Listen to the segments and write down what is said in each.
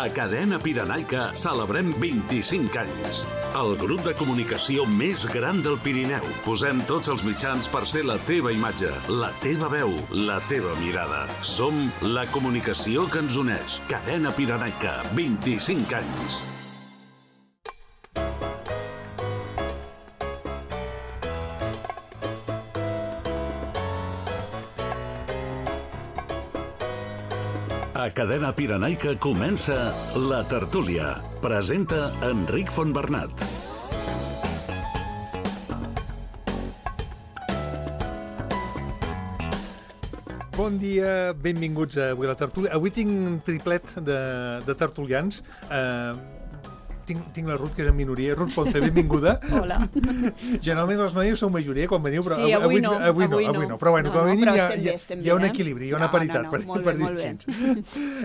A Cadena Pirenaica celebrem 25 anys. El grup de comunicació més gran del Pirineu. Posem tots els mitjans per ser la teva imatge, la teva veu, la teva mirada. Som la comunicació que ens uneix. Cadena Pirenaica, 25 anys. A Cadena Pirenaica comença La Tertúlia. Presenta Enric Fontbernat. Bon dia, benvinguts avui a La Tertúlia. Avui tinc un triplet de tertulians. Tinc la Ruth, que és en minoria. Ruth Ponce, benvinguda. Hola. Generalment les noies són majoria quan veniu, però sí, avui no. Però bueno, com a mínim hi ha un bé, equilibri, hi ha una paritat, per dir-ho així.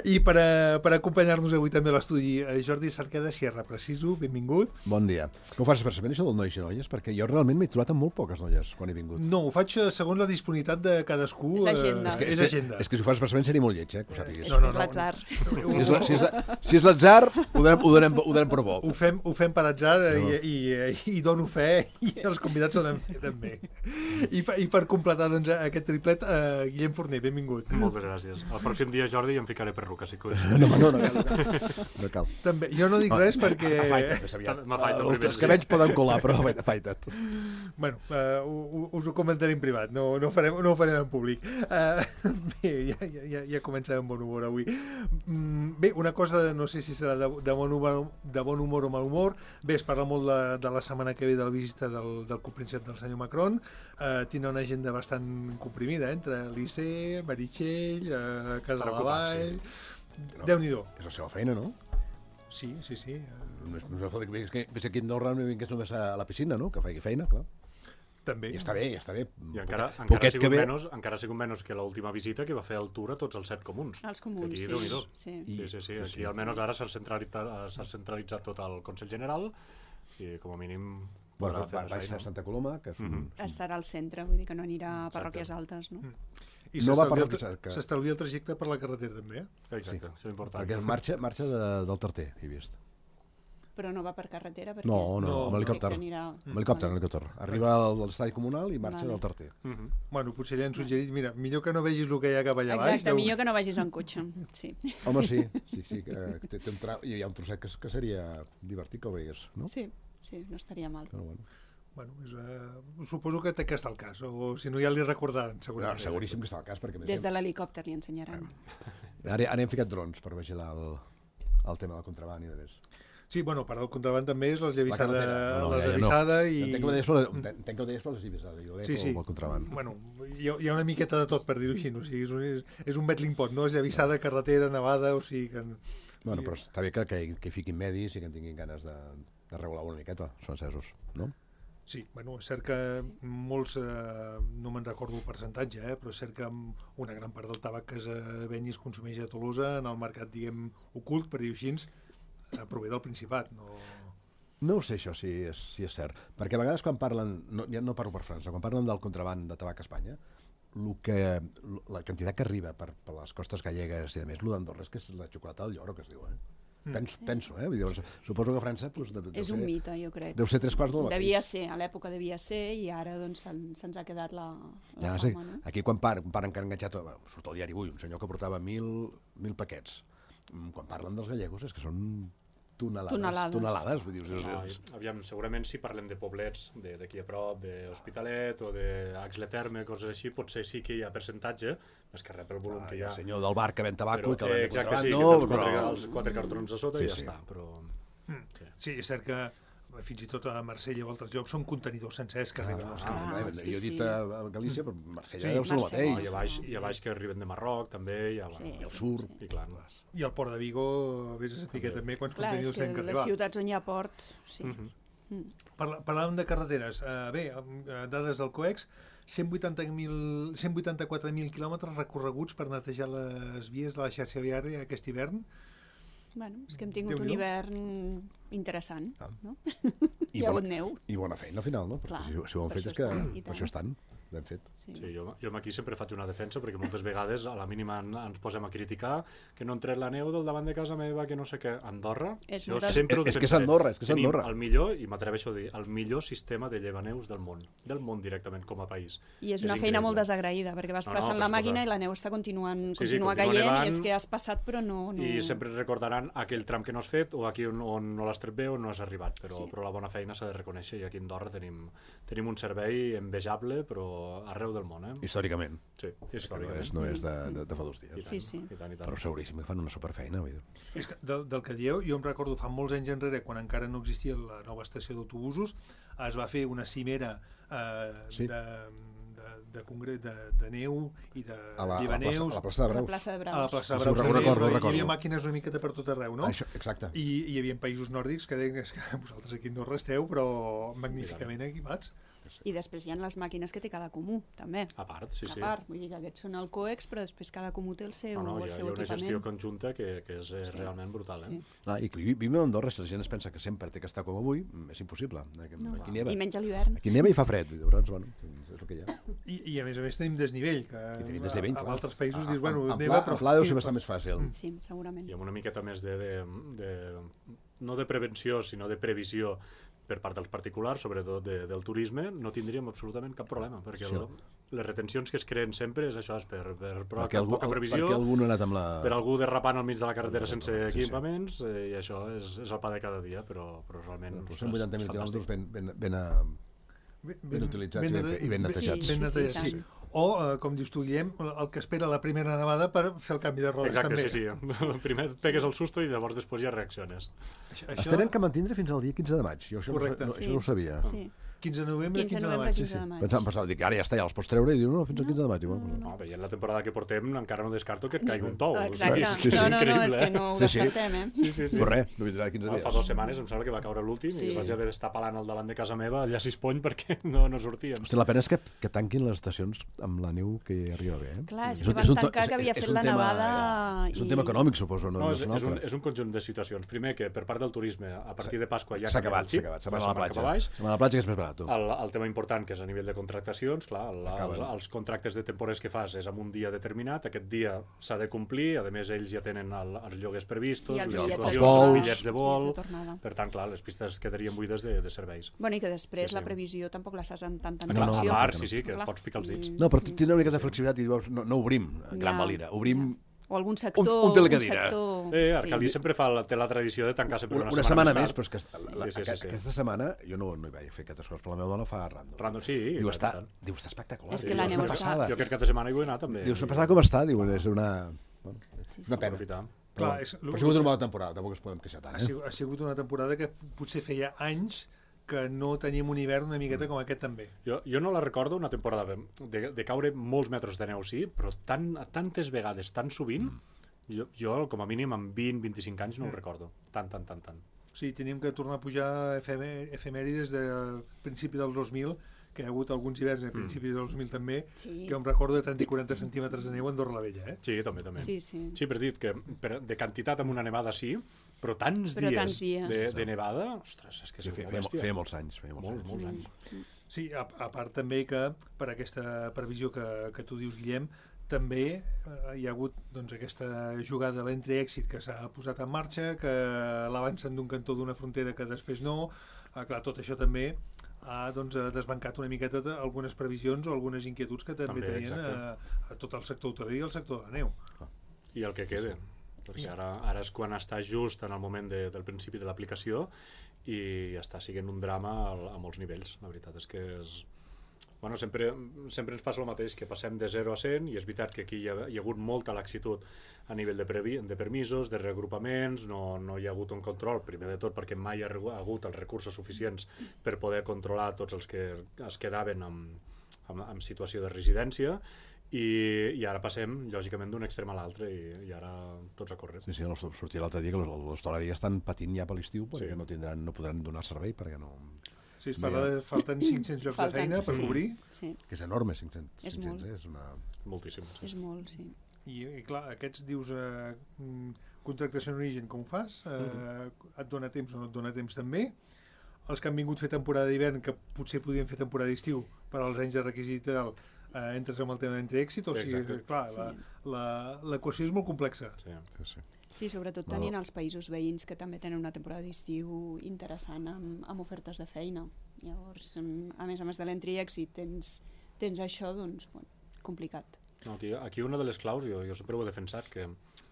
I per acompanyar-nos avui també a l'estudi, Jordi Cerqueda Sierra, preciso, benvingut. Bon dia. Que ho fas expressament, això del nois i noies? Perquè jo realment m'he trobat amb molt poques noies quan he vingut. No, ho faig segons la disponibilitat de cadascú. És agenda. És agenda. És que si ho fas expressament seria molt lleig, que ho sàpigues. No. És l'atzar. Si és l'atzar, ho donem per bo. Ho fem per atzar i dono fe, i els convidats són també. I per completar doncs, aquest triplet, Guillem Forner, benvingut. Moltes gràcies. El pròxim dia, Jordi, em ficaré perruca, si que No cal. També, jo no dic res perquè... Els cabells poden colar, però afaita't. Bueno, us ho comentaré en privat, no ho farem en públic. Bé, ja comencem amb bon humor avui. Bé, una cosa, no sé si serà de bon humor o mal humor. Bé, es parla molt de la setmana que ve de la visita del copríncep del senyor Macron. Tindrà una agenda bastant comprimida, entre l'ICE, Meritxell, Casa de la Vall... Déu-n'hi-do. És la seva feina, no? Sí. No és el que ve aquí a Andorra no vingués només a la piscina, no? Que faci feina, clar. També. I està bé. I encara ha sigut menys que l'última visita que va fer el tour a tots els 7 comuns. Els comuns, aquí, sí. Sí. Aquí almenys ara s'ha centralitzat tot el Consell General i com a mínim podrà fer va a Santa Coloma, que és estarà al centre, vull dir que no anirà a parròquies altes, no? I no s'estalvia el trajecte per la carretera també, Exacte, això és important. Perquè marxa del Tarter, he vist. Però no va per carretera? Perquè... No, amb helicòpter. Amb helicòpter. Arriba a l'estadi comunal i marxa del Tarter. Bueno, potser ja han suggerit, mira, millor que no vegis el que hi ha cap allà baix. Exacte, millor que no vagis en cotxe, sí. Home, sí, que hi ha un trosset que seria divertit que ho veies, no? Sí, no estaria mal. Bueno, suposo que té que estar al cas, o si no ja li recordaran, segurament. Seguríssim que està al cas. Des de l'helicòpter li ensenyaran. Ara hem ficat drons per vigilar el tema del contraban i de més. Sí, bueno, per al contraband també és l'esllavissada i... Entenc que ho deies per l'esllavissada, jo ho deia pel contraband. Bueno, hi ha una miqueta de tot, per dir-ho així, o sigui, és un betling pot, no? Esllavissada, carretera, nevada, o sigui que... Bueno, però està bé que hi fiquin medis i que en tinguin ganes de regular una miqueta, els francesos, no? Sí, bueno, és cert que molts, no me'n recordo el percentatge, però és cert que una gran part del tabac que es ven i es consumeix a Tolosa, en el mercat, diguem, ocult, per dir-ho així, prové del Principat, no... No ho sé això, si és cert. Perquè a vegades quan parlen, ja no parlo per França, quan parlen del contraban de tabac a Espanya, la quantitat que arriba per les costes gallegues i de més, l'Andorra és que és la xocolata del lloro, que es diu, Penso, vull dir, suposo que a França... És un mite, jo crec. Deu ser 3/4 del mateix. Devia ser, a l'època devia ser, i ara doncs se'ns ha quedat la fama, no? Aquí quan paren que han enganxat, surt al diari avui, un senyor que portava 1.000 paquets. Quan parlen dels gallegos és que són tonelades. Vull dir, aviam, segurament si parlem de poblets d'aquí a prop, d'Hospitalet o d'Axle Terme, coses així, potser sí que hi ha percentatge, més que rep el volum que hi ha. El senyor del bar que ven tabaco i que ven de contraband, no? Exacte, sí, els 4 cartrons a sota i ja està, però... Sí, és cert que fins i tot a Marsella o altres llocs són contenidors sencers que arriben als clients. Jo he dit a Galícia, però Marsella deu ser el mateix. I a baix que arriben de Marroc, també, i al sur. I al Port de Vigo, vés a saber també quants contenidors tenen que arribar. Les ciutats on hi ha port, sí. Parlàvem de carreteres. Bé, dades del COEX, 184.000 quilòmetres recorreguts per netejar les vies de la xarxa viària aquest hivern. Bueno, és que hem tingut un hivern interessant, no? Hi ha hagut neu. I bona feina al final, no? Perquè si ho han fet és que per això estan. ben fet. Sí, jo aquí sempre faig una defensa perquè moltes vegades a la mínima ens posem a criticar que no han tret la neu del davant de casa meva, que no sé què. Andorra, És jo moltes- sempre ho És que és defensaré. Andorra, és que és Tenim Andorra. el millor, i m'atreveixo a dir, el millor sistema de llevaneus del món directament com a país. I és una feina increïble. molt desagraïda, perquè vas No, passant la però màquina escolta. i la neu està continua continua caient, nevant, i és que has passat però no... I sempre recordaran aquell tram que no has fet o aquí on no l'has tret bé o no has arribat, però la bona feina s'ha de reconèixer, i aquí a Andorra tenim un servei envejable, però arreu del món, Històricament. Sí, històricament. No és de fa 2 dies. Sí, sí. I tant. Però seguríssim que fan una superfeina. Vull dir. Sí. És que del que dieu, jo em recordo fa molts anys enrere, quan encara no existia la nova estació d'autobusos, es va fer una cimera Sí. de congrés de neu i de A la llevaneus plaça de A la Braus. plaça de a la Braus. plaça de Sí, ho Braus. recordo. Hi havia màquines una miqueta per tot arreu, no? Això, exacte. I hi havia països nòrdics que deien que vosaltres aquí no resteu, però magníficament equipats. I després hi ha les màquines que té cada comú, també. A part, sí. A part, vull dir que aquests són el COEX, però després cada comú té el seu, No, hi el ha seu una gestió equipament. conjunta que és realment brutal. Sí. I que vivim a Andorra, si la gent es pensa que sempre té que estar com avui, és impossible. Aquí neva. I menys a l'hivern. Aquí neva i fa fred, llavors, bueno, és el que hi ha. I a més tenim desnivell, que I tenim desnivell, a clar. altres països dius, bueno, En neva, pla deu ser bastant més fàcil. Sí, segurament. I amb una miqueta més no de prevenció, sinó de previsió per part dels particulars, sobretot del turisme, no tindríem absolutament cap problema, perquè les retencions que es creen sempre és això, és per Perquè poca previsió, perquè algú no ha anat amb la... per algú derrapant al mig de la carretera sense equipaments, i això és el pa de cada dia, però realment... Però 180.000 quilòmetres ben utilitzats i ben netejats. Ben netejats, Sí, sí. sí. O, com dius tu, Guillem, el que espera la primera nevada per fer el canvi de rodes. Exacte, també. sí. Primer et pegues el susto i llavors després ja reacciones. Es tenen que mantindre fins al dia 15 de maig. Jo això, Correcte. això no ho sabia. Sí. 15 de novembre, 15 15 de de novembre, maig. 15 de maig. Pensava, dic, ara ja està, ja els pots treure, i diu, no, fins al 15 de maig. No, veient la temporada que portem, encara no descarto que et caigui un tou. Exacte. O sigui, No, increïble, és que no ho Sí, sí. descartem, eh? Sí. Però res, no vindrà 15 dies. Fa 2 setmanes em sembla que va caure l'últim Sí. i vaig haver d'estar palant al davant de casa meva allà a Sispony perquè no sortíem. Hosti, la pena és que tanquin les estacions amb la neu que arriba bé. Clar, és un- que van un tancar és- que havia és fet un la tema- nevada És un i- tema econòmic, suposo, no, No, és un altre. és un conjunt de situacions. Primer, que per part del turisme, a partir de Pasqua ja S'ha canvia acabat, el xip, se'n van a la cap platja. baix. Se'n van a la platja, que és més barat. El tema important, que és a nivell de contractacions, clar, els contractes de temporers que fas és en un dia determinat, aquest dia s'ha de complir, a més ells ja tenen els lloguers previstos, I els les bitllets situacions, de tornada. els bitllets de vol, Sí, de tornada. per tant, clar, les pistes quedarien buides de serveis. Bueno, i que després Sí, sí. la previsió tampoc la saps amb tanta No, Clar, antelació. a part, no. sí, que Clar. pots picar els dits. No, però tindre una miqueta de flexibilitat i dius, no obrim gran Ja, valira, obrim O algun sector... un telecadira. Arcadi sempre té la tradició de tancar sempre una setmana més més, tard. però és que Sí. aquesta setmana jo no hi vaig fer aquestes coses, però la meva dona fa random. Random, sí. Diu, i està tant. espectacular. És que Diu, la és neu una està- passada. Jo aquest cap de setmana hi vull anar també. Diu, s'ha passat com està, diu, és una Sí, sí. pena. Aprofitar. Però, Clar, és- però ha sigut una bona temporada, tampoc es podem queixar tant. Ha sigut una temporada que potser feia anys que no teníem un hivern una miqueta com aquest també. Jo no la recordo una temporada de caure molts metres de neu, sí, però tantes vegades, tan sovint, jo com a mínim amb 20-25 anys no ho recordo. Tant. Sí, teníem que tornar a pujar efemèrides del principi del 2000, que hi ha hagut alguns hiverns a principi del 2000 també, Sí. que em recordo de 30 i 40 centímetres de neu a Andorra la Vella, eh? Sí, també. Sí, sí. Sí, però he dit que de quantitat amb una nevada sí, però tants tants dies dies. de nevada, ostres, és que és molt bèstia. Feia molts anys. Molts anys. Sí, a part també que per aquesta previsió que tu dius, Guillem, també hi ha hagut doncs, aquesta jugada de l'entre-èxit que s'ha posat en marxa, que l'avancen d'un cantó d'una frontera que després no. Clar, tot això també ha desbancat una miqueta algunes previsions o algunes inquietuds que també tenien a tot el sector hoteler i el sector de la neu. I el que quede, perquè ara és quan està just en el moment del principi de l'aplicació i està sent un drama a molts nivells. La veritat és que és... Bueno, sempre ens passa el mateix, que passem de 0 a 100 i és veritat que aquí hi ha hagut molta laxitud a nivell de permisos, de reagrupaments, no hi ha hagut un control, primer de tot perquè mai hi ha hagut els recursos suficients per poder controlar tots els que es quedaven en situació de residència i ara passem, lògicament, d'un extrem a l'altre i ara tots a córrer. Sí, sortia l'altre dia que l'hostaleria estan patint ja per l'estiu perquè Sí. no podran donar servei perquè no... Sí, es parla de falten 500 llocs de feina per cobrir. Sí, Que és enorme, 500. És 500 molt. és una... Moltíssim. Sí. és molt, sí. I clar, aquests dius contractació en origen, com ho fas? Et dona temps o no et dona temps també? els que han vingut a fer temporada d'hivern, que potser podien fer temporada d'estiu, per als anys de requisit i tal, entres amb el tema d'entre èxit, o sigui, clar, l'equació és molt complexa. Sí, sobretot tenint els països veïns que també tenen una temporada d'estiu interessant amb ofertes de feina. Llavors, a més de l'entre èxit, tens això, doncs, bueno, complicat. No, aquí una de les claus, jo sempre ho he defensat, que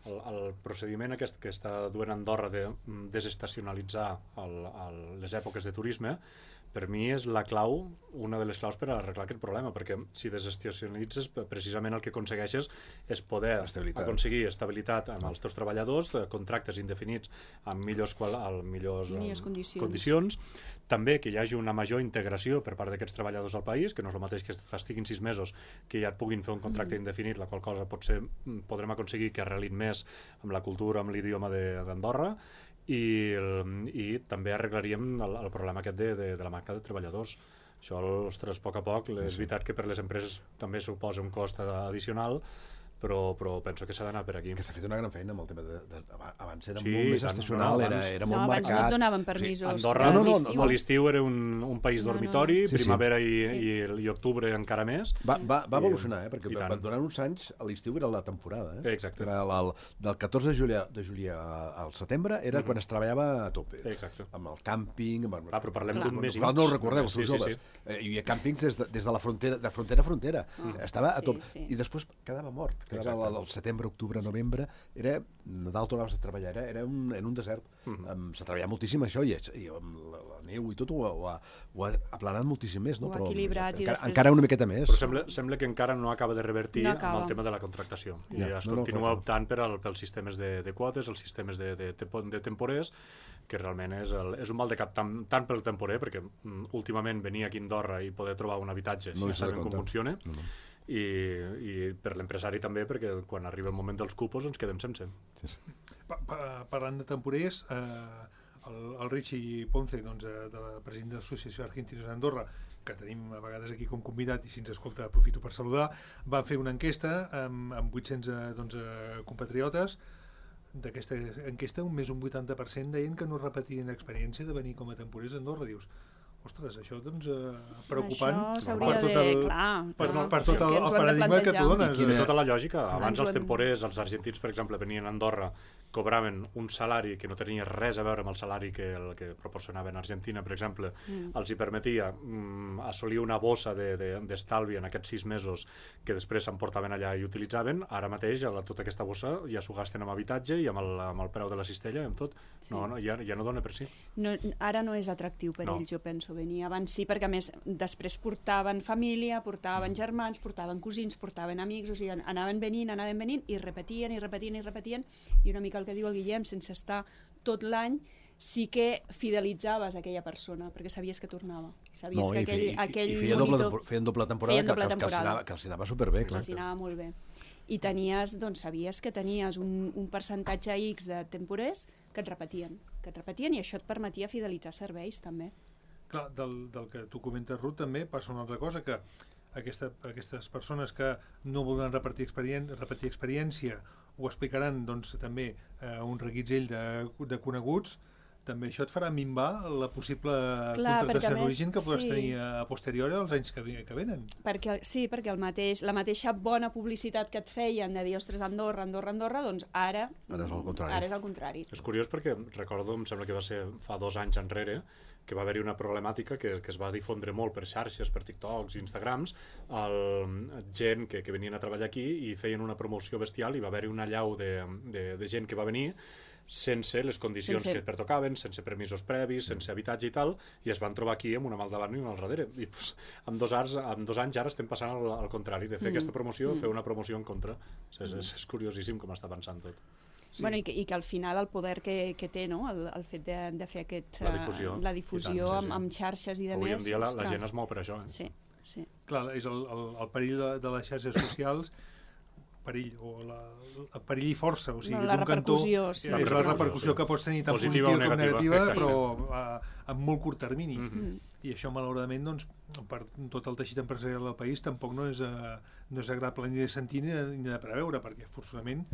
el procediment aquest que està duent Andorra de desestacionalitzar les èpoques de turisme, per mi és la clau, una de les claus per arreglar aquest problema, perquè si desestacionalitzes, precisament el que aconsegueixes és poder aconseguir estabilitat amb els teus treballadors, contractes indefinits amb millors condicions, també que hi hagi una major integració per part d'aquests treballadors al país, que no és el mateix que estiguin 6 mesos, que ja et puguin fer un contracte indefinit, la qual cosa potser podrem aconseguir que arrelin més amb la cultura, amb l'idioma d'Andorra, i també arreglaríem el problema aquest de la manca de treballadors. Això, ostres, a poc, és veritat que per les empreses també suposa un cost addicional, però penso que s'ha d'anar per aquí. Que s'ha fet una gran feina amb el tema abans era molt més estacional, era molt marcat. Abans no et donaven permisos. Andorra a l'estiu era un país dormitori, primavera i octubre encara més. Va evolucionar, perquè durant uns anys a l'estiu era la temporada. Exacte. Del 14 de julià al setembre era quan es treballava a tope. Exacte. Amb el càmping... Però parlem d'un mes i mig. No ho recordeu, els joves. Hi havia càmpings des de la frontera, de frontera a frontera. Estava a top. I després quedava mort. El setembre, octubre, novembre, Nadal tornaves a treballar, era un desert. S'ha treballat moltíssim això, i amb la neu i tot ho ha aplanat moltíssim més. Ho ha equilibrat. Encara una miqueta més. Però sembla que encara no acaba de revertir amb el tema de la contractació. I es continua optant pels sistemes de quotes, els sistemes de temporers, que realment és un mal de cap tant pel temporer, perquè últimament venir aquí a Andorra i poder trobar un habitatge, ja sabem com funciona, i per l'empresari també, perquè quan arriba el moment dels cupos ens quedem sense. Parlant de temporers, el Richie Ponce, de la president de l'Associació Argentinos d'Andorra, que tenim a vegades aquí com convidat i si ens escolta aprofito per saludar, va fer una enquesta amb 800 compatriotes. D'aquesta enquesta, més d'un 80% deien que no repetien experiència de venir com a temporers a Andorra. Dius, ostres, això preocupant per tot el paradigma que tu dones. I de tota la lògica, abans els temporers, els argentins, per exemple, venien a Andorra, cobraven un salari que no tenia res a veure amb el salari que proporcionava en Argentina, per exemple, els hi permetia assolir una bossa d'estalvi en aquests 6 mesos que després s'emportaven allà i utilitzaven. Ara mateix tota aquesta bossa ja s'ho gasten amb habitatge i amb el preu de la cistella i amb tot. Ja no dona per si. Ara no és atractiu per ells, jo penso, venir. Abans sí, perquè a més després portaven família, portaven germans, portaven cosins, portaven amics, o sigui, anaven venint i repetien, i una mica el que diu el Guillem, sense estar tot l'any, sí que fidelitzaves aquella persona, perquè sabies que tornava. Sabies que aquell monitor... Feien doble temporada que els anava superbé. Els anava molt bé. I sabies que tenies un percentatge X de temporers que et repetien, i això et permetia fidelitzar serveis, també. Clar, del que tu comentes, Ruth, també passa una altra cosa, que aquestes persones que no volen repetir experiència ho explicaran també un reguitzell de coneguts, també això et farà minvar la possible contractació d'origen que podràs tenir a posteriori als anys que venen. Sí, perquè la mateixa bona publicitat que et feien de dir, ostres, Andorra, doncs ara és el contrari. És curiós perquè recordo, em sembla que va ser fa 2 anys enrere, que va haver-hi una problemàtica que es va difondre molt per xarxes, per TikToks i Instagrams, gent que venien a treballar aquí i feien una promoció bestial, i va haver-hi una allau de gent que va venir sense les condicions que pertocaven, sense permisos previs, sense habitatge i tal, i es van trobar aquí amb una mà al davant i una al darrere. I en 2 anys ara estem passant al contrari, de fer aquesta promoció, fer una promoció en contra. És curiosíssim com està pensant tot. Bueno, i que al final el poder que té, no? El fet de fer la difusió amb xarxes i de més. Avui en dia la gent es mou per això. Sí. Clar, és el perill de les xarxes socials, perill i força, o sigui, la repercussió, és la repercussió que pots tenir tant positiva com negativa, però en molt curt termini. I això, malauradament, per tot el teixit empresarial del país tampoc no és agradable ni de sentir ni de preveure, perquè forçosament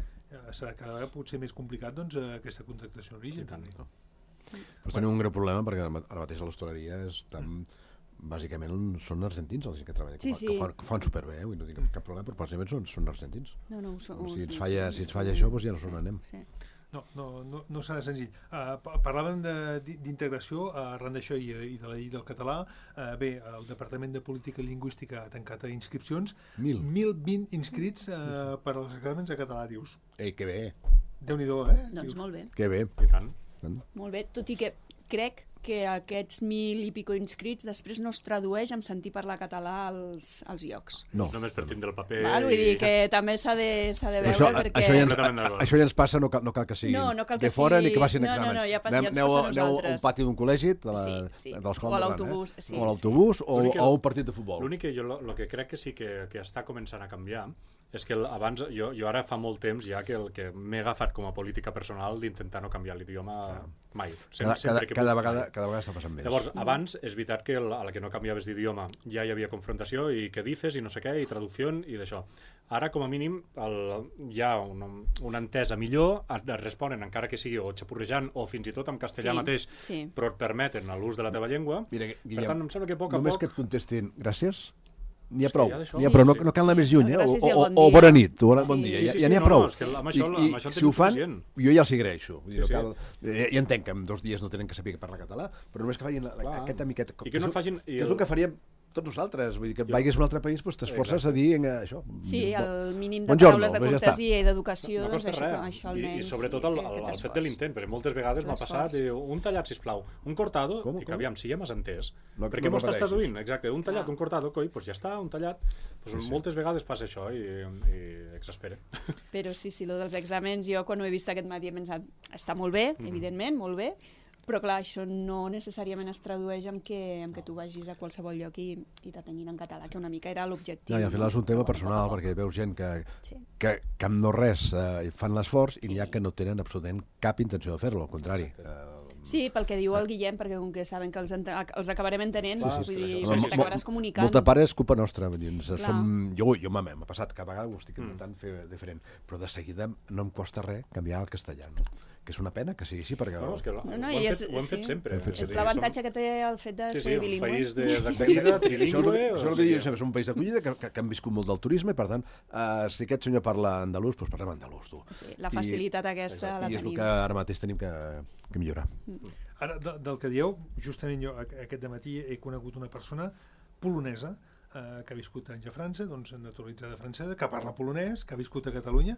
serà cada vegada potser més complicat aquesta contractació d'origen. Però tenim un greu problema perquè ara mateix a l'hostaleria bàsicament són argentins els que treballen, que fan superbé, no tinc cap problema, però bàsicament són argentins. Si ens falla això, doncs ja no són anem. No serà senzill. Parlàvem d'integració arran d'això i de la llei del català. Bé, el Departament de Política Lingüística ha tancat inscripcions. 1.020 inscrits per als exàmens de català, dius. Ei, que bé. Déu-n'hi-do, Doncs molt bé. Que bé. I tant. Molt bé, tot i que crec que aquests 1.000 i pico inscrits després no es tradueix en sentir parlar català als llocs. No. Només per tindre el paper... Vull dir que també s'ha de veure perquè... Això ja ens passa, no cal que siguin de fora ni que passin exàmens. Aneu a un pati d'un col·legi, de l'escola, o a l'autobús, o a un partit de futbol. L'únic que jo el que crec que sí que està començant a canviar és que abans, jo ara fa molt temps ja que m'he agafat com a política personal d'intentar no canviar l'idioma mai. Cada vegada està passant més. Llavors, abans, és veritat que a la que no canviaves d'idioma ja hi havia confrontació i què dices i no sé què, i traducció i d'això. Ara, com a mínim, hi ha una entesa millor, et responen encara que sigui o xapurrejant o fins i tot en castellà mateix, però et permeten l'ús de la teva llengua. Mira, Guillem, per tant, em sembla que a poc a poc... Només que et contestin gràcies, n'hi ha prou, no cal anar més lluny, o bona nit, o bon dia, ja n'hi ha prou. I si ho fan, jo ja els agraeixo. Ja entenc que en 2 dies no tenen que saber parlar català, però només que facin aquest amiquet. I que no facin... És el que faríem tots nosaltres, vull dir que vagis a un altre país, t'esforces a dir això. Sí, el mínim de paraules de cortesia i d'educació, doncs això almenys. I sobretot el fet de l'intent, perquè moltes vegades m'ha passat un tallat, sisplau, un cortado, i que aviam, si ja m'has entès. Per què m'ho estàs traduint? Exacte, un tallat, un cortado, coi, doncs ja està, un tallat. Moltes vegades passa això i exaspera. Però sí, lo dels exàmens, jo quan ho he vist aquest matí he pensat, està molt bé, evidentment, molt bé, però clar, això no necessàriament es tradueix amb que tu vagis a qualsevol lloc i t'atenguin en català, que una mica era l'objectiu. I al final és un tema personal, perquè veus gent que amb no res fan l'esforç i n'hi ha que no tenen absolutament cap intenció de fer-lo, al contrari. Sí, pel que diu el Guillem, perquè com que saben que els acabarem entenent, vull dir, t'acabaràs comunicant. Molta part és culpa nostra. Jo m'ha passat, cada vegada ho estic intentant fer diferent, però de seguida no em costa res canviar al castellà, que és una pena que sigui així, perquè... No, és que ho hem fet sempre. És l'avantatge que té el fet de ser bilingüe. Sí, un país d'acollida, trilingüe... Això és el que diu sempre, és un país d'acollida que han viscut molt del turisme, i per tant, si aquest senyor parla andalús, doncs parlem andalús, tu. Sí, la facilitat aquesta la tenim. I és el que ara mateix tenim que millorar. Ara, del que dieu, justament jo aquest dematí he conegut una persona polonesa que ha viscut anys a França, doncs naturalitzada francesa, que parla polonès, que ha viscut a Catalunya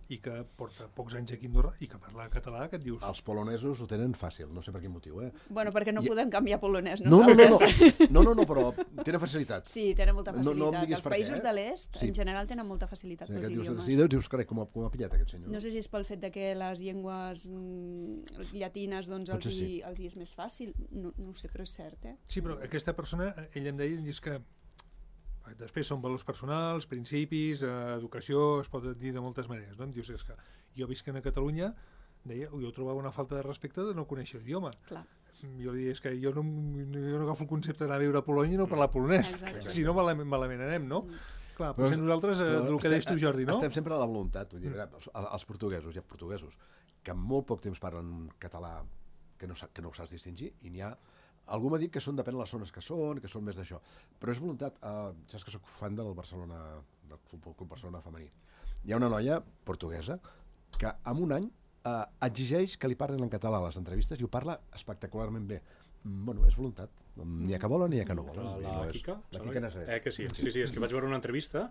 i que porta pocs anys aquí a Andorra i que parla català, que et dius... Els polonesos ho tenen fàcil, no sé per quin motiu, Bueno, perquè no podem canviar polonès nosaltres. No, però tenen facilitat. Sí, tenen molta facilitat. Els països de l'est, en general, tenen molta facilitat pels idiomes. Sí, dius, carai, com ha pillat aquest senyor? No sé si és pel fet que les llengües llatines els hi és més fàcil, no ho sé, però és cert, Sí, però aquesta persona, ell em deia, dius que després són valors personals, principis, educació, es pot dir de moltes maneres, no? Em dius, és que jo visc a Catalunya, deia, jo trobava una falta de respecte de no conèixer l'idioma. Clar. Jo li deia, és que jo no agafo el concepte d'anar a viure a Polònia i no parlar polonès, si no malament anem, no? Clar, potser nosaltres, el que deies tu, Jordi, no? Estem sempre a la voluntat, vull dir, els portuguesos, hi ha portuguesos que en molt poc temps parlen català que no ho saps distingir, i n'hi ha... Algú m'ha dit que depèn de les zones que són més d'això, però és voluntat. Saps que soc fan del Barcelona, del Futbol Club Barcelona femení. Hi ha una noia portuguesa que en un any exigeix que li parlin en català a les entrevistes i ho parla espectacularment bé. Bueno, és voluntat. N'hi ha que volen, n'hi ha que no volen. La Quica? La Quica Nazaret. Que sí, és que vaig veure una entrevista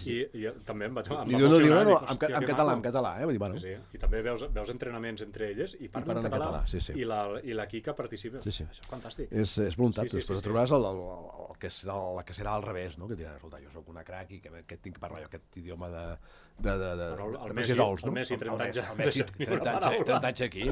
i també em vaig emocionar. En català, vull dir, bueno. I també veus entrenaments entre elles i parlen en català i la Quica participa. Això és fantàstic. És voluntat, després trobaràs la que serà al revés, que dirà, escolta, jo soc una crac i que tinc que parlar jo aquest idioma de el Messi, 30 anys aquí.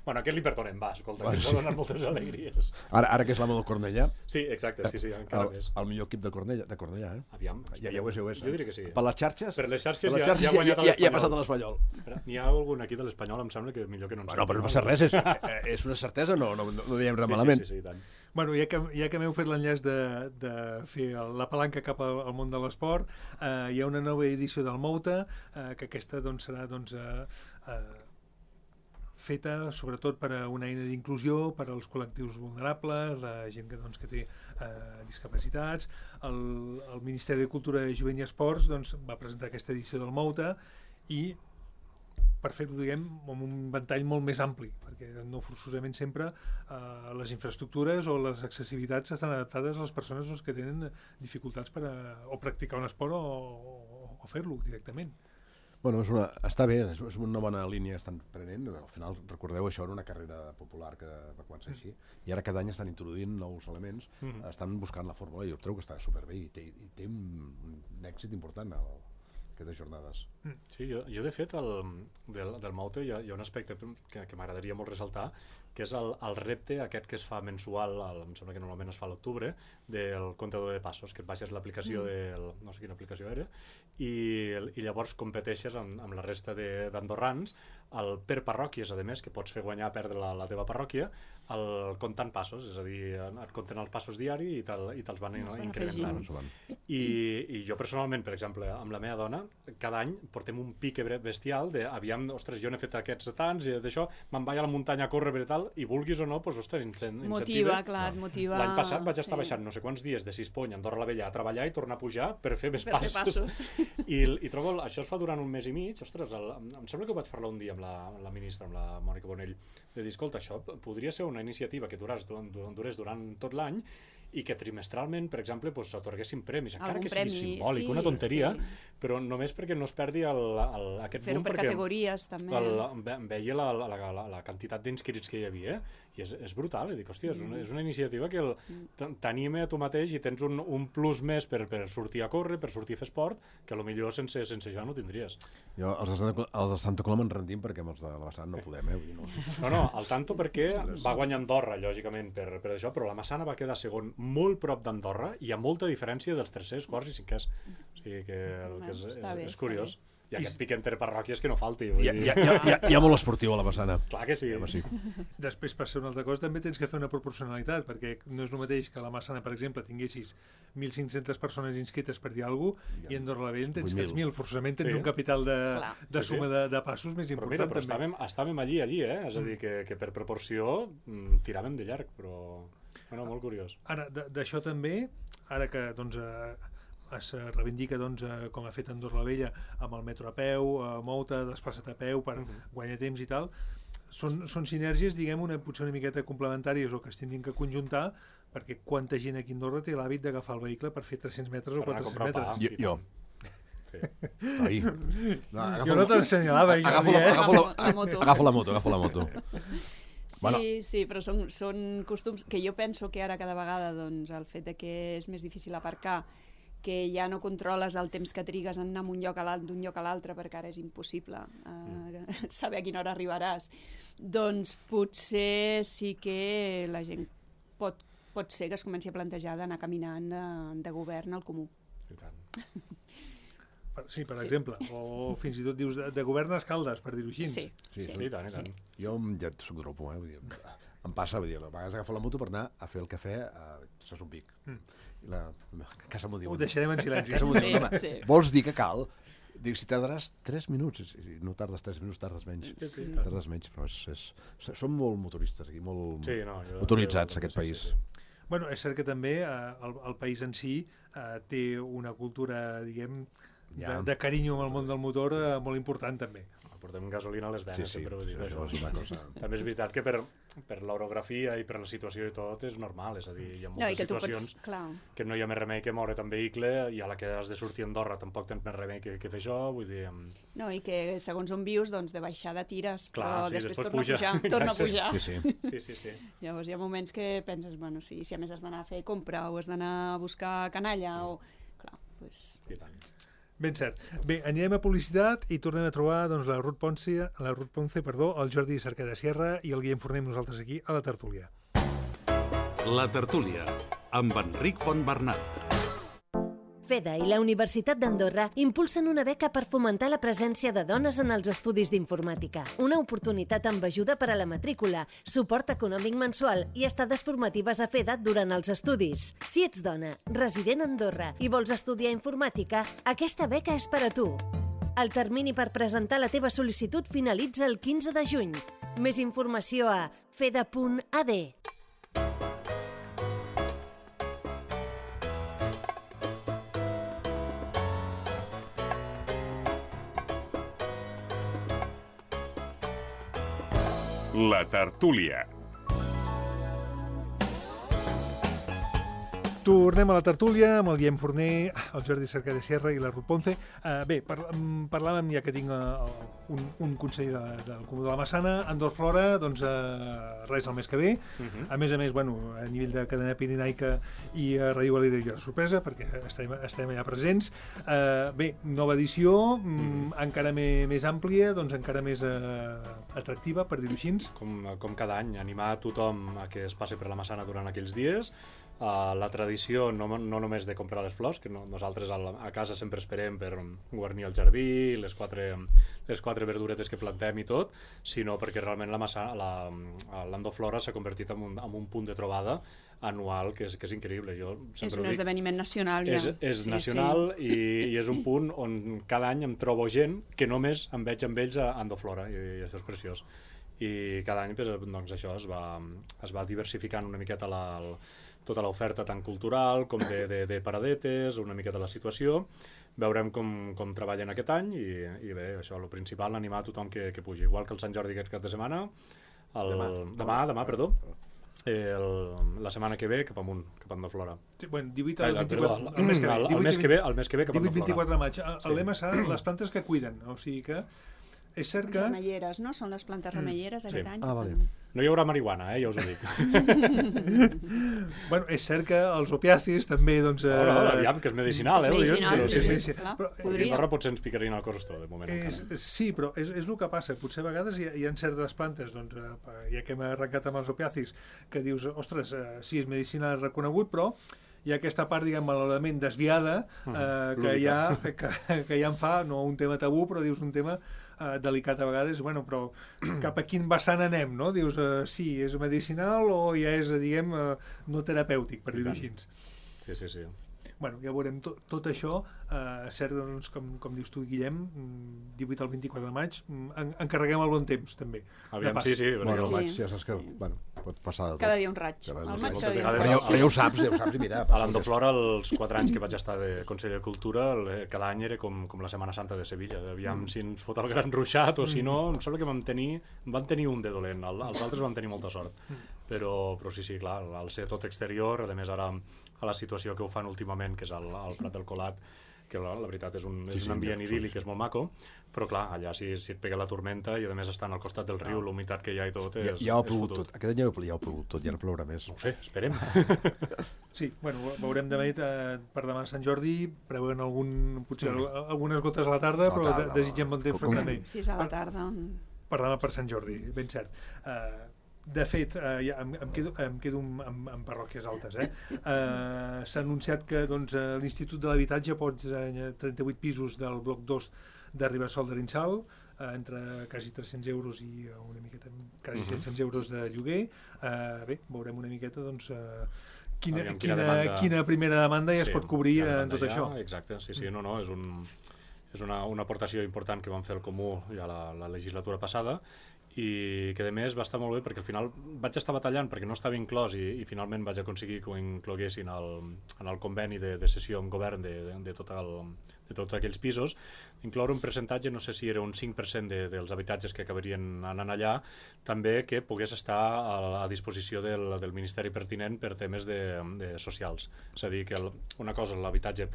Bueno, aquest li perdonem, va, escolta, que ens va donar moltes alegries. Ara que és l'amo del Cornellà. Sí, exacte, sí, encara més. El millor equip de Cornellà, Aviam. Ja ho és. Jo diria que sí. Per les xarxes? Per les xarxes ja ha guanyat l'Espanyol. Ja ha passat a l'Espanyol. N'hi ha algun aquí de l'Espanyol, em sembla que millor que no en sap. No, però no passa res, és una certesa, no diem res malament. Sí, i tant. Bueno, ja que m'heu fet l'enllaç de fer la palanca cap al món de l'esport, hi ha una nova edició del Mouta, que aquesta serà feta sobretot per a una eina d'inclusió, per als col·lectius vulnerables, la gent que té discapacitats. El Ministeri de Cultura, Jovent i Esports doncs, va presentar aquesta edició del Mouta i per fer-ho, diguem, amb un ventall molt més ampli, perquè no forçosament sempre les infraestructures o les accessibilitats estan adaptades a les persones que tenen dificultats per o practicar un esport o fer-lo directament. Bueno, està bé, és una bona línia que estan prenent. Al final, recordeu, això era una carrera popular que va començar així, i ara cada any estan introduint nous elements, estan buscant la fórmula, i jo trobo que està superbé i té un èxit important aquestes jornades. Sí, jo de fet, del Mouta hi ha un aspecte que m'agradaria molt ressaltar, que és el repte aquest que es fa mensual, em sembla que normalment es fa a l'octubre, del comptador de passos, que et baixes l'aplicació no sé quina aplicació era, i llavors competeixes amb la resta d'andorrans per parròquies, a més, que pots fer guanyar a perdre la teva parròquia, comptant passos, és a dir, et compten els passos diari i te'ls van incrementant. I jo personalment, per exemple, amb la meva dona, cada any portem un pic bestial de, aviam, ostres, jo n'he fet aquests tants i d'això, me'n vaig a la muntanya a córrer i tal, i vulguis o no, doncs, ostres, incentiva. Motiva, clar, motiva. L'any passat vaig estar baixant no sé quants dies de Sispony a Andorra la Vella a treballar i tornar a pujar per fer més passos. I trobo, això es fa durant un mes i mig, ostres, em sembla que ho vaig parlar un dia amb la ministra, amb la Mònica Bonell, de dir, escolta, això podria ser una iniciativa que durés durant tot l'any i que trimestralment, per exemple, s'atorguessin premis, encara que sigui simbòlic, una tonteria, però només perquè no es perdi aquest boom, per categories, també. Veia la quantitat d'inscrits que hi havia, i és brutal, i dic, hòstia, és una iniciativa que t'anima a tu mateix i tens un plus més per sortir a córrer, per sortir a fer esport, que potser sense això no tindries. Jo, els de Santa Coloma ens rendim perquè amb els de la Massana no podem, No, el tanto perquè va guanyar Andorra, lògicament, per això, però la Massana va quedar segon molt prop d'Andorra i hi ha molta diferència dels tercers, quarts i cinquers. O sigui que és curiós. I aquest pic entre parròquies que no falti. Hi ha molt esportiu a la Massana. Clar que sí. Després, per ser una altra cosa, també tens que fer una proporcionalitat, perquè no és el mateix que a la Massana, per exemple, tinguessis 1.500 persones inscrites per dir alguna cosa, i a Andorra la Vella en tens 3.000. Forçosament tens un capital de suma de passos més important. Però estàvem allí, és a dir, que per proporció tiràvem de llarg, però molt curiós. Ara, d'això també, ara que es reivindica com ha fet Andorra la Vella amb el metro a peu, Mouta, desplaçat a peu per guanyar temps i tal, són sinergies, diguem, potser una miqueta complementàries o que es tindrien que conjuntar, perquè quanta gent aquí a Andorra té l'hàbit d'agafar el vehicle per fer 300 metres o 400 metres. Jo. Jo no t'ensenyalava. Agafo la moto. Sí, però són costums que jo penso que ara cada vegada el fet que és més difícil aparcar, que ja no controles el temps que trigues en anar d'un lloc a l'altre, perquè ara és impossible saber a quina hora arribaràs, doncs potser sí que la gent pot ser que es comenci a plantejar d'anar caminant de govern al comú. I tant. Sí, per exemple, o fins i tot dius de govern a Escaldes, per dir-ho així. Sí, i tant. Jo ja soc dropo, em passa, a vegades agafo la moto per anar a fer el cafè a Son Pic. I la casa m'ho diu. Ho deixarem en silenci. Vols dir que cal? Dic, si tardaràs 3 minuts, no tardes 3 minuts, tardes menys. Tardes menys, però som molt motoristes aquí, molt motoritzats, aquest país. Bueno, és cert que també el país en si té una cultura, diguem, de carinyo amb el món del motor molt important, també. Portem gasolina a les venes, sempre ho dic. És una cosa. També és veritat que per l'orografia i per la situació i tot és normal, és a dir, hi ha moltes situacions que no hi ha més remei que moure't amb vehicle, i a la que has de sortir a Andorra tampoc tens més remei que fer això, vull dir... No, i que segons on vius, doncs de baixada tires, però després torna a pujar. Sí. Llavors hi ha moments que penses, bueno, si a més has d'anar a fer compra o has d'anar a buscar canalla o... Clar, doncs... I tant. Ben cert. Bé, anirem a publicitat i tornem a trobar la Ruth Ponce, el Jordi Cerqueda Sierra i el Guillem Forner, nosaltres aquí a la tertúlia. La tertúlia, amb Enric Fontbernat. FEDA i la Universitat d'Andorra impulsen una beca per fomentar la presència de dones en els estudis d'informàtica. Una oportunitat amb ajuda per a la matrícula, suport econòmic mensual i estades formatives a FEDA durant els estudis. Si ets dona, resident a Andorra i vols estudiar informàtica, aquesta beca és per a tu. El termini per presentar la teva sol·licitud finalitza el 15 de juny. Més informació a feda.ad. La tertúlia. Tornem a la tertúlia amb el Guillem Forner, el Jordi Cerca de Sierra i la Ruth Ponce. Bé, parlàvem, ja que tinc un consell del Comú de la Massana, Andorr Flora, doncs res el mes que ve. A més, bueno, a nivell de cadena pirinaica i a Ràdio Valira hi ha sorpresa, perquè estem allà presents. Bé, nova edició, encara més àmplia, doncs encara més atractiva, per dir-ho així. Com cada any, animar tothom a que es passi per la Massana durant aquells dies. La tradició no només de comprar les flors, que nosaltres a casa sempre esperem per guarnir el jardí, les quatre verduretes que plantem i tot, sinó perquè realment l'Andorr Flora s'ha convertit en un punt de trobada anual que és increïble. És un esdeveniment nacional, ja. És nacional i és un punt on cada any em trobo gent que només em veig amb ells a Andorr Flora, i això és preciós. I cada any doncs, això es va diversificant una miqueta tota l'oferta tant cultural com de paradetes, una miqueta la situació. Veurem com treballen aquest any i bé, això, el principal, animar a tothom que pugi. Igual que el Sant Jordi aquest cap de setmana, demà, perdó, la setmana que ve cap amunt, cap a Andorr Flora. Sí, bueno, 18 al 24, el mes que ve cap a Andorr Flora. 18-24 de maig. El lema serà les plantes que cuiden, o sigui que és cert que... Remelleres, no? Són les plantes remelleres aquest any. Vale. No hi haurà marihuana, ja us ho dic. Bueno, és cert que els opiacis també, doncs... Aviam, que és medicinal, És medicinal, sí, clar, I podria. Andorra potser ens picarien el corrostó, de moment. Sí, però és el que passa. Potser a vegades hi ha certes plantes, doncs, ja que hem arrencat amb els opiacis, que dius, ostres, sí, és medicina reconegut, però hi ha aquesta part, diguem, malauradament desviada, que ja en fa, no un tema tabú, però dius un tema delicat a vegades, bueno, però cap a quin vessant anem, no? Dius, sí, és medicinal o ja és, diguem, no terapèutic, per dir-ho així. Sí. Bueno, ja veurem tot això, cert, doncs, com dius tu, Guillem, 18 al 24 de maig, encarreguem el bon temps, també. Aviam, sí. Bueno, el maig ja saps que pot passar de tot. Cada dia un raig. El maig cada dia un vegades raig. Però ja ho saps, i mira... A l'Andorr Flora, els 4 anys que vaig estar de conseller de Cultura, cada any era com la Setmana Santa de Sevilla. Aviam si ens fot el gran ruixat o si no, em sembla que van tenir un de dolent, els altres van tenir molta sort. Però sí, clar, al ser tot exterior, a més ara a la situació que ho fan últimament, que és al Prat del Colat, que la veritat és un ambient idíl·lic, és molt maco, però clar, allà si et pega la tormenta i a més estan al costat del riu, la humitat que hi ha i tot, ja ho ha plogut tot. Aquest any ja ho ha plogut tot, ja no plourà més. No ho sé, esperem. Sí, bueno, veurem demà per demà Sant Jordi, preveuen potser algunes gotes a la tarda, però desitgem bon temps també. Sí, és a la tarda. Per demà per Sant Jordi, ben cert. De fet, ja em quedo amb parròquies altes. S'ha anunciat que l'Institut de l'Habitatge pot 38 pisos del bloc 2 de Ribassol de Rinsal, entre quasi 300 euros i una miqueta, quasi 700 euros de lloguer. Bé, veurem una miqueta quina primera demanda ja es pot cobrir en tot això. Exacte, sí, no, és una aportació important que vam fer el Comú ja la legislatura passada, i que a més va estar molt bé perquè al final vaig estar batallant perquè no estava inclòs i finalment vaig aconseguir que ho incloguessin en el conveni de cessió amb govern de tots aquells pisos, incloure un percentatge, no sé si era un 5% dels habitatges que acabarien anant allà, també que pogués estar a disposició del Ministeri pertinent per temes socials. És a dir, que una cosa és l'habitatge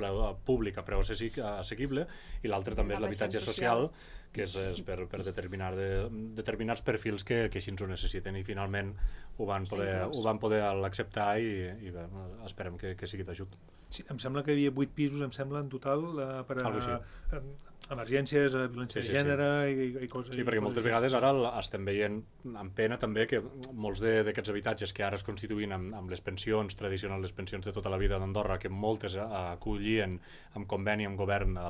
públic a preu assequible i l'altra també és l'habitatge social, que és per determinats perfils que així ens ho necessiten, i finalment ho van poder acceptar i bé, esperem que sigui d'ajut. Sí, em sembla que hi havia 8 pisos, em sembla, en total, per a emergències, violència de gènere i coses. Sí, perquè moltes vegades ara estem veient amb pena també que molts d'aquests habitatges que ara es constituïn amb les pensions tradicionals, les pensions de tota la vida d'Andorra, que moltes acollien amb conveni amb govern a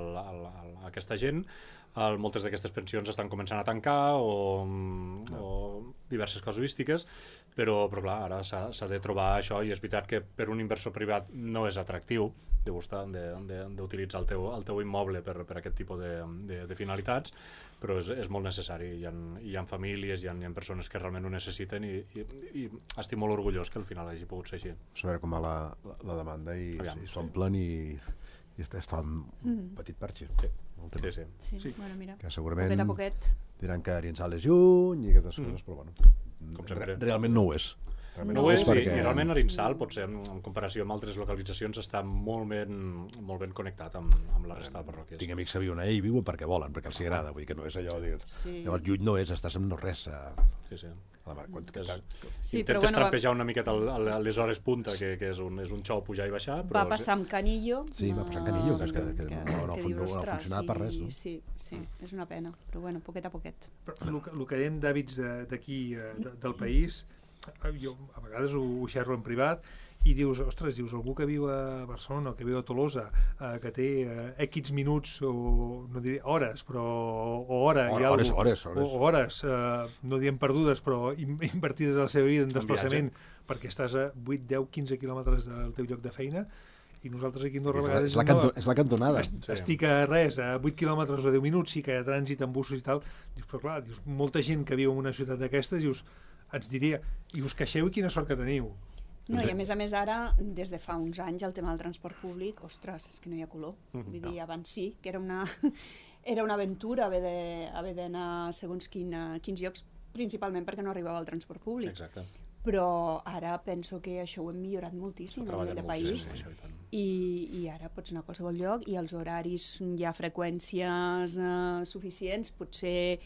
aquesta gent, moltes d'aquestes pensions estan començant a tancar o diverses casuístiques, però clar, ara s'ha de trobar això, i és veritat que per un inversor privat no és atractiu d'utilitzar el teu immoble per aquest tipus de finalitats, però és molt necessari. Hi ha famílies, hi ha persones que realment ho necessiten, i estic molt orgullós que al final hagi pogut ser així. Saber com va la demanda i s'omplen i es fa un petit parxi. Sí. Bueno, mira, que segurament poquet a poquet. diran que Arinsal és lluny i aquestes coses, però bueno, Com sempre. realment no ho és. No ho és, i realment Arinsal, potser en comparació amb altres localitzacions, està molt ben connectat amb la resta de parròquies. Tinc amics que viuen allà i viuen perquè volen, perquè els agrada, vull dir que no és allò de dir... Llavors lluny no és, estàs en no res. Sí. Intentes trampejar una miqueta a les hores punta, que és un xou pujar i baixar. Va passar amb Canillo. Sí, va passar amb Canillo, que no ha funcionat per res. Sí, és una pena, però bueno, poquet a poquet. El que dèiem d'hàbits d'aquí, del país, jo a vegades ho xerro en privat, i dius, ostres, algú que viu a Barcelona o que viu a Tolosa, que té X minuts, o no diré hores, però hores, no diem perdudes, però invertides a la seva vida en desplaçament, perquè estàs a 8, 10, 15 quilòmetres del teu lloc de feina, i nosaltres aquí a Andorra a vegades... És la cantonada. Estic a res, a 8 quilòmetres o 10 minuts, sí que hi ha trànsit amb busos i tal, dius, però clar, molta gent que viu en una ciutat d'aquestes, dius, ens diria, i us queixeu i quina sort que teniu. No, i a més ara, des de fa uns anys, el tema del transport públic, ostres, és que no hi ha color. Vull dir, abans sí, que era una aventura haver d'anar segons quins llocs, principalment perquè no arribava el transport públic. Exacte. Però ara penso que això ho hem millorat moltíssim a nivell de país, i ara pots anar a qualsevol lloc, i els horaris hi ha freqüències suficients, potser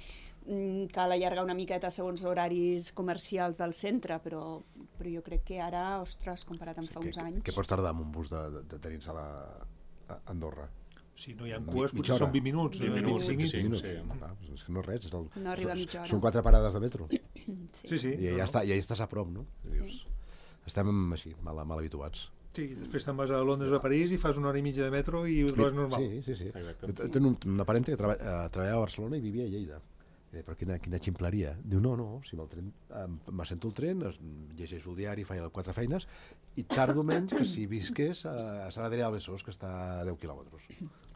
cal allargar una miqueta segons horaris comercials del centre, però jo crec que ara, ostres, comparat amb fa uns anys... Què pots tardar amb un bus de tenir-se a Andorra? Si no hi ha cues, potser són 20 minuts, 25 minuts. És que no és res. No arriba a mitja hora. Són 4 parades de metro. Sí. I ja estàs a prop, no? Estem així, mal habituats. Sí, després te'n vas a Londres o a París i fas una hora i mitja de metro i ho trobes normal. Sí. Tinc una parenta que treballava a Barcelona i vivia a Lleida. Però quina ximpleria. Diu, no, si amb el tren m'assento el tren, llegeixo el diari, faig 4 feines i tardo menys que si visqués a Sant Adrià de Besòs, que està a 10 quilòmetres.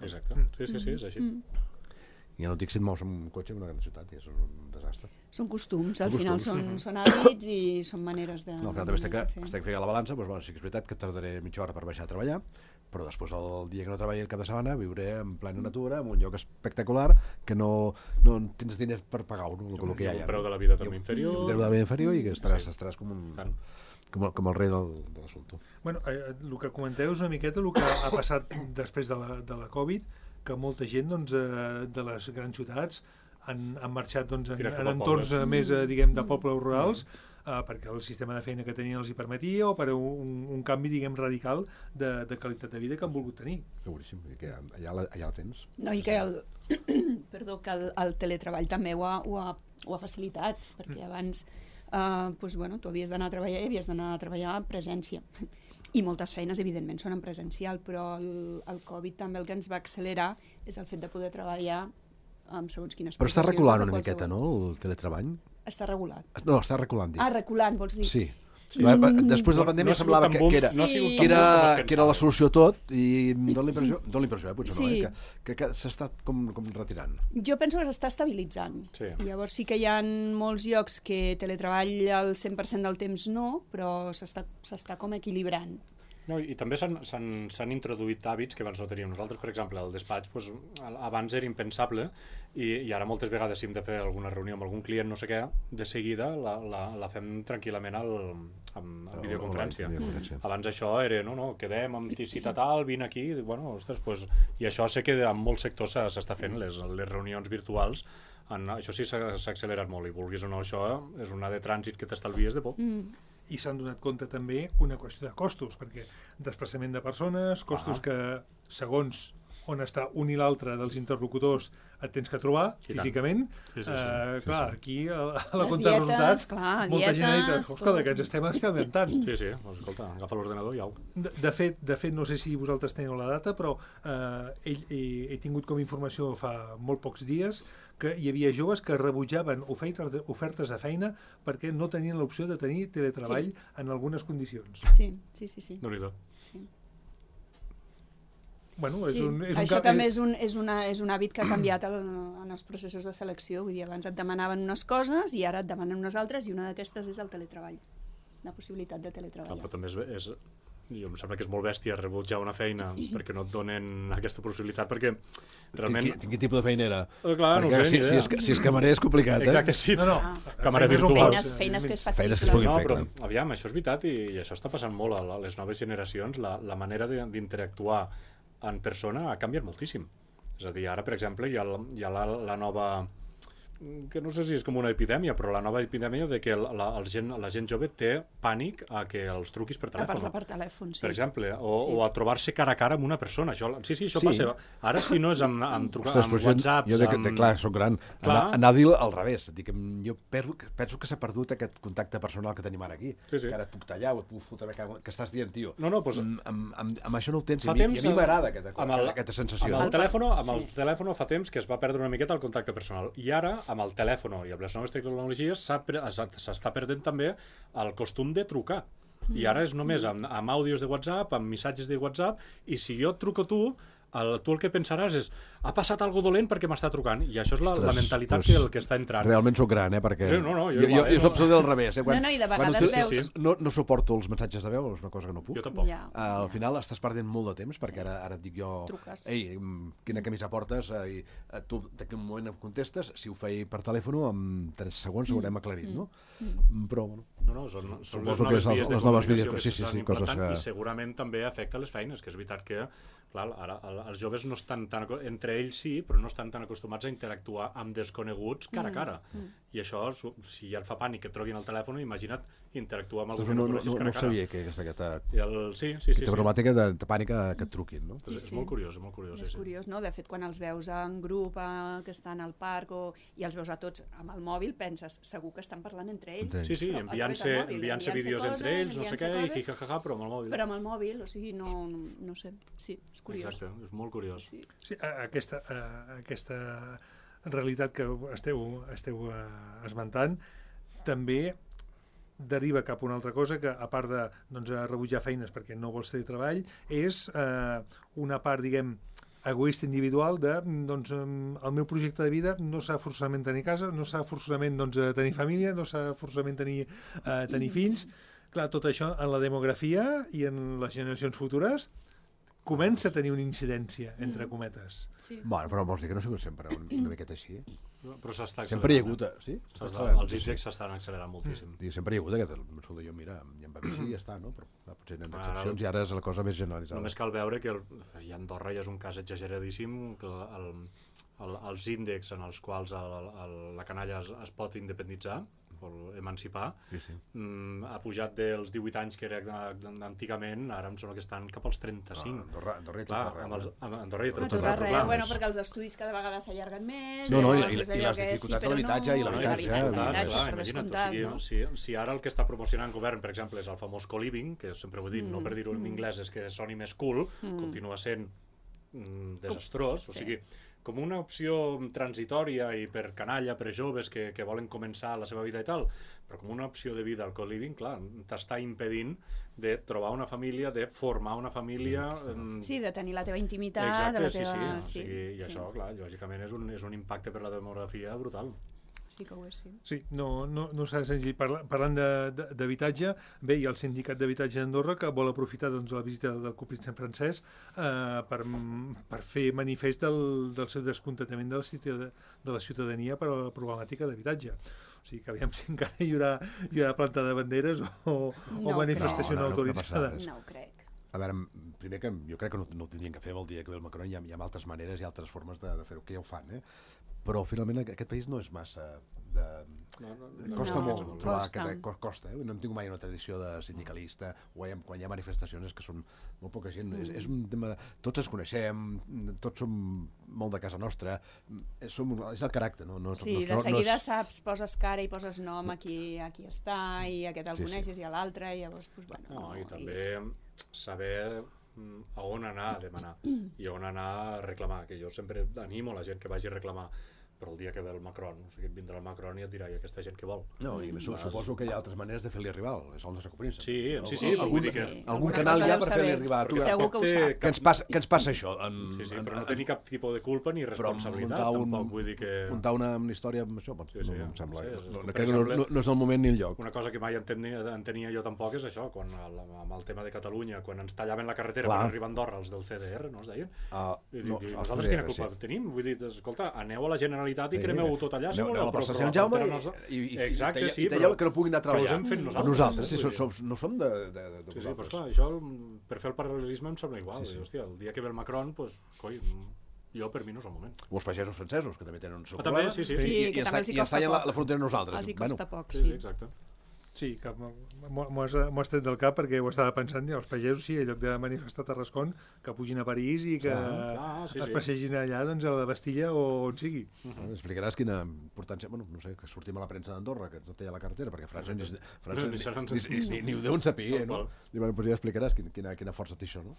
Exacte, sí, és així. I ja no dic si et mous amb un cotxe en una gran ciutat, és un desastre. Són costums, al final són hàbits i són maneres de... No, al final també estic fent la balança, doncs, sí que és veritat que tardaré mitja hora per baixar a treballar, però després el dia que no treballi el cap de setmana viuré en plena natura, en un lloc espectacular, que no tens diners per pagar-ho, el que hi ha. Un preu de la vida també inferior. Un preu de la vida inferior i que estaràs com el rei de l'assumpte. Bueno, el que comenteu és una miqueta el que ha passat després de la Covid, que molta gent de les grans ciutats han marxat en entorns més, diguem, de pobles rurals, perquè el sistema de feina que tenien els hi permetia, o per un canvi, diguem, radical de qualitat de vida que han volgut tenir. Seguríssim, que allà la tens. No, i que el teletreball també ho ha facilitat, perquè abans tu havies d'anar a treballar i havies d'anar a treballar en presència. I moltes feines, evidentment, són en presencial, però el Covid també el que ens va accelerar és el fet de poder treballar amb segons quines professions. Però està reculant una miqueta, no, el teletreball? Està regulat. No, està reculant, dic. reculant, vols dir? Sí. Després de la pandèmia semblava que era la solució a tot i dona l'impressió, potser no, que s'està com retirant. Jo penso que s'està estabilitzant. Llavors sí que hi ha molts llocs que teletreball al 100% del temps no, però s'està com equilibrant. No, i també s'han introduït hàbits que abans no teníem. Nosaltres, per exemple, al despatx, abans era impensable i ara moltes vegades si hem de fer alguna reunió amb algun client, no sé què, de seguida la fem tranquil·lament amb videoconferència. Abans això era, no, quedem amb cita tal, vine aquí, i això sé que en molts sectors s'està fent, les reunions virtuals. Això sí s'ha accelerat molt, i vulguis o no, això és una de trànsit que t'estalvies de poc. I s'han donat compte també una qüestió de costos, perquè desplaçament de persones, costos que segons on està un i l'altre dels interlocutors et tens que trobar físicament. Clar, aquí a la compta de resultats molta gent ha dit, escolta, que ens estem estalviant. Sí, escolta, agafa l'ordenador i au. De fet, no sé si vosaltres teniu la data, però he tingut com informació fa molt pocs dies que hi havia joves que rebutjaven ofertes de feina perquè no tenien l'opció de tenir teletreball en algunes condicions. Sí. Déu-n'hi-do. Sí. Bueno, Això també és un hàbit que ha canviat en els processos de selecció. Vull dir, abans et demanaven unes coses i ara et demanen unes altres, i una d'aquestes és el teletreball, la possibilitat de teletreballar. Però també jo em sembla que és molt bèstia rebutjar una feina perquè no et donen aquesta possibilitat, perquè realment... Quin tipus de feina era? Clar, no ho sé, ni idea. Si és camarer és complicat, Exacte, sí. No. Camarer virtual. Feines que és Feines que es factible. puguin No, fer, però clar. aviam, això és veritat i això està passant molt a les noves generacions. La manera d'interactuar en persona ha canviat moltíssim. És a dir, ara, per exemple, hi ha la nova... que no sé si és com una epidèmia, però la nova epidèmia de que la gent jove té pànic a que els truquis per A telèfon. parlar per telèfon, sí. Per exemple, o a trobar-se cara a cara amb una persona. Això passa. Ara, si no és amb WhatsApps... Clar, soc gran. Anar a dir al revés. Dic, jo penso que s'ha perdut aquest contacte personal que tenim ara aquí. Sí. Que ara et puc tallar o et puc fotre que estàs dient, tio. No, doncs... Amb això no ho tens, i Fa a temps, mi m'agrada aquesta sensació. Amb el telèfon fa temps que es va perdre una miqueta el contacte personal. I ara, amb el telèfon i amb les noves tecnologies, s'està perdent també el costum de trucar. I ara és només amb àudios de WhatsApp, amb missatges de WhatsApp, i si jo et truco a tu el que pensaràs és ha passat algo dolent perquè m'està trucant, i això és la mentalitat que està entrant. Realment sóc gran, perquè Sí, jo soc absolutament al revés. No, i de vegades veus... No suporto els missatges de veu, és una cosa que no puc. Jo tampoc. Al final estàs perdent molt de temps, perquè ara et dic jo, ei, quina camisa portes, i tu d'aquí un moment em contestes, si ho feia per telèfon, en 3 segons ho haurem aclarit, no? Però, bueno... No, són les noves vies de comunicació que s'estan implantant, i segurament també afecta les feines, que és veritat que ara els joves no estan tan... Entre ells sí, però no estan tan acostumats a interactuar amb desconeguts cara a cara. I això, si ja et fa pànic que et truquin al telèfon, imagina't interactuar amb algú que no coneixes cara a cara. No sabia que aquesta problemàtica de pànic que et truquin, no? És molt curiós, És curiós, no? De fet, quan els veus en grup, que estan al parc, i els veus a tots amb el mòbil, penses, segur que estan parlant entre ells. Sí, enviant-se vídeos entre ells, no sé què, i jijajaja, però amb el mòbil. Però amb el mòbil, o sigui, no sé, sí, és curiós. Exacte, és molt curiós. Sí, aquesta realitat que esteu esmentant també deriva cap a una altra cosa que, a part de rebutjar feines perquè no vols tenir treball, és una part, diguem, egoista individual de, el meu projecte de vida no s'ha forçament tenir casa, no s'ha forçament tenir família, no s'ha forçament tenir fills. Clar, tot això en la demografia i en les generacions futures comença a tenir una incidència, entre cometes. Sí. Bueno, però vols dir que no ha sigut sempre una miqueta així? Però s'està accelerant. Sempre hi ha hagut, sí? Els índexs s'estan accelerant moltíssim. Sempre hi ha hagut aquest, jo, mira, ja em va dir i ja està, no? Però potser hi ha excepcions i ara és la cosa més generalitzada. Només cal veure que a Andorra ja és un cas exageradíssim, que els índexs en els quals la canalla es pot independitzar, o emancipar, ha pujat dels 18 anys que era antigament, ara em sembla que estan cap als 35. Andorra i tot arreu. Andorra i tot arreu. Bueno, perquè els estudis cada vegada s'allarguen més. No, i les dificultats de l'habitatge i l'habitatge. Si ara el que està promocionant el govern, per exemple, és el famós co-living, que sempre ho he dit, no per dir-ho en anglès és que soni més cool, continua sent desastrós, o sigui, com una opció transitòria i per canalla, per joves que volen començar la seva vida i tal, però com una opció de vida al co-living, clar, t'està impedint de trobar una família, de formar una família... Sí, de tenir la teva intimitat, exacte, sí. I això, clar, lògicament és un impacte per la demografia brutal. Sí que ho és, sí. Sí, no serà senzill. Parlant d'habitatge, bé, hi ha el Sindicat d'Habitatge d'Andorra que vol aprofitar la visita del Copríncep francès per fer manifest del seu descontentament de la ciutadania per a la problemàtica d'habitatge. O sigui que aviam si encara hi haurà planta de banderes o manifestació no autoritzada. No ho crec. A veure, primer que jo crec que no ho tindrien que fer el dia que ve el Macron, hi ha altres maneres i altres formes de fer-ho, que ja ho fan, però finalment aquest país no és massa... Costa molt trobar costa. No hem tingut mai una tradició de sindicalista, quan hi ha manifestacions que són molt poca gent. És un tema... Tots ens coneixem, tots som molt de casa nostra, és el caràcter. Sí, de seguida saps, poses cara i poses nom a qui està, i aquest el coneixes i a l'altre, i llavors... I també saber a on anar a demanar i a on anar a reclamar, que jo sempre animo la gent que vagi a reclamar, però el dia que ve el Macron, o sigui, vindrà el Macron i et dirà, i aquesta gent què vol? No, i suposo que hi ha altres maneres de fer-li arribar, és el nostre copríncep. Sí, però vull dir que... Algun canal hi ha per fer-li arribar a tu. Segur que ho sap. Què ens passa això? Sí, però no tenir cap tipus de culpa ni responsabilitat, tampoc, vull dir que... Muntar una història amb això, em sembla. No és el moment ni el lloc. Una cosa que mai entenia jo tampoc és això, quan amb el tema de Catalunya, quan ens tallaven la carretera per arribar a Andorra, els del CDR, no es deien? Nosaltres quina culpa tenim? Vull dir, escolta, aneu a la Generalitat i cremeu-ho tot allà, si voleu, però Sant Jaume i talleu que no puguin anar a treballar. Nosaltres, no som de vosaltres. Sí, però esclar, això, per fer el paral·lelisme em sembla igual. Hòstia, el dia que ve el Macron, doncs, coi, jo per mi no és el moment. O els pagesos francesos, que també tenen un seu problema. Sí, que també els hi costa poc. La frontera nosaltres. Els hi costa poc, sí. Exacte. Sí, que m'ho has tret del cap perquè ho estava pensant, els pagesos, sí, en lloc de manifestar a Tarrascon, que pugin a París i que es passegin allà, doncs, a la Bastilla o on sigui. Explicaràs quina importància, no sé, que sortim a la premsa d'Andorra, que no té la carretera, perquè França ni ho deuen saber, no? Doncs ja explicaràs quina força té això, no?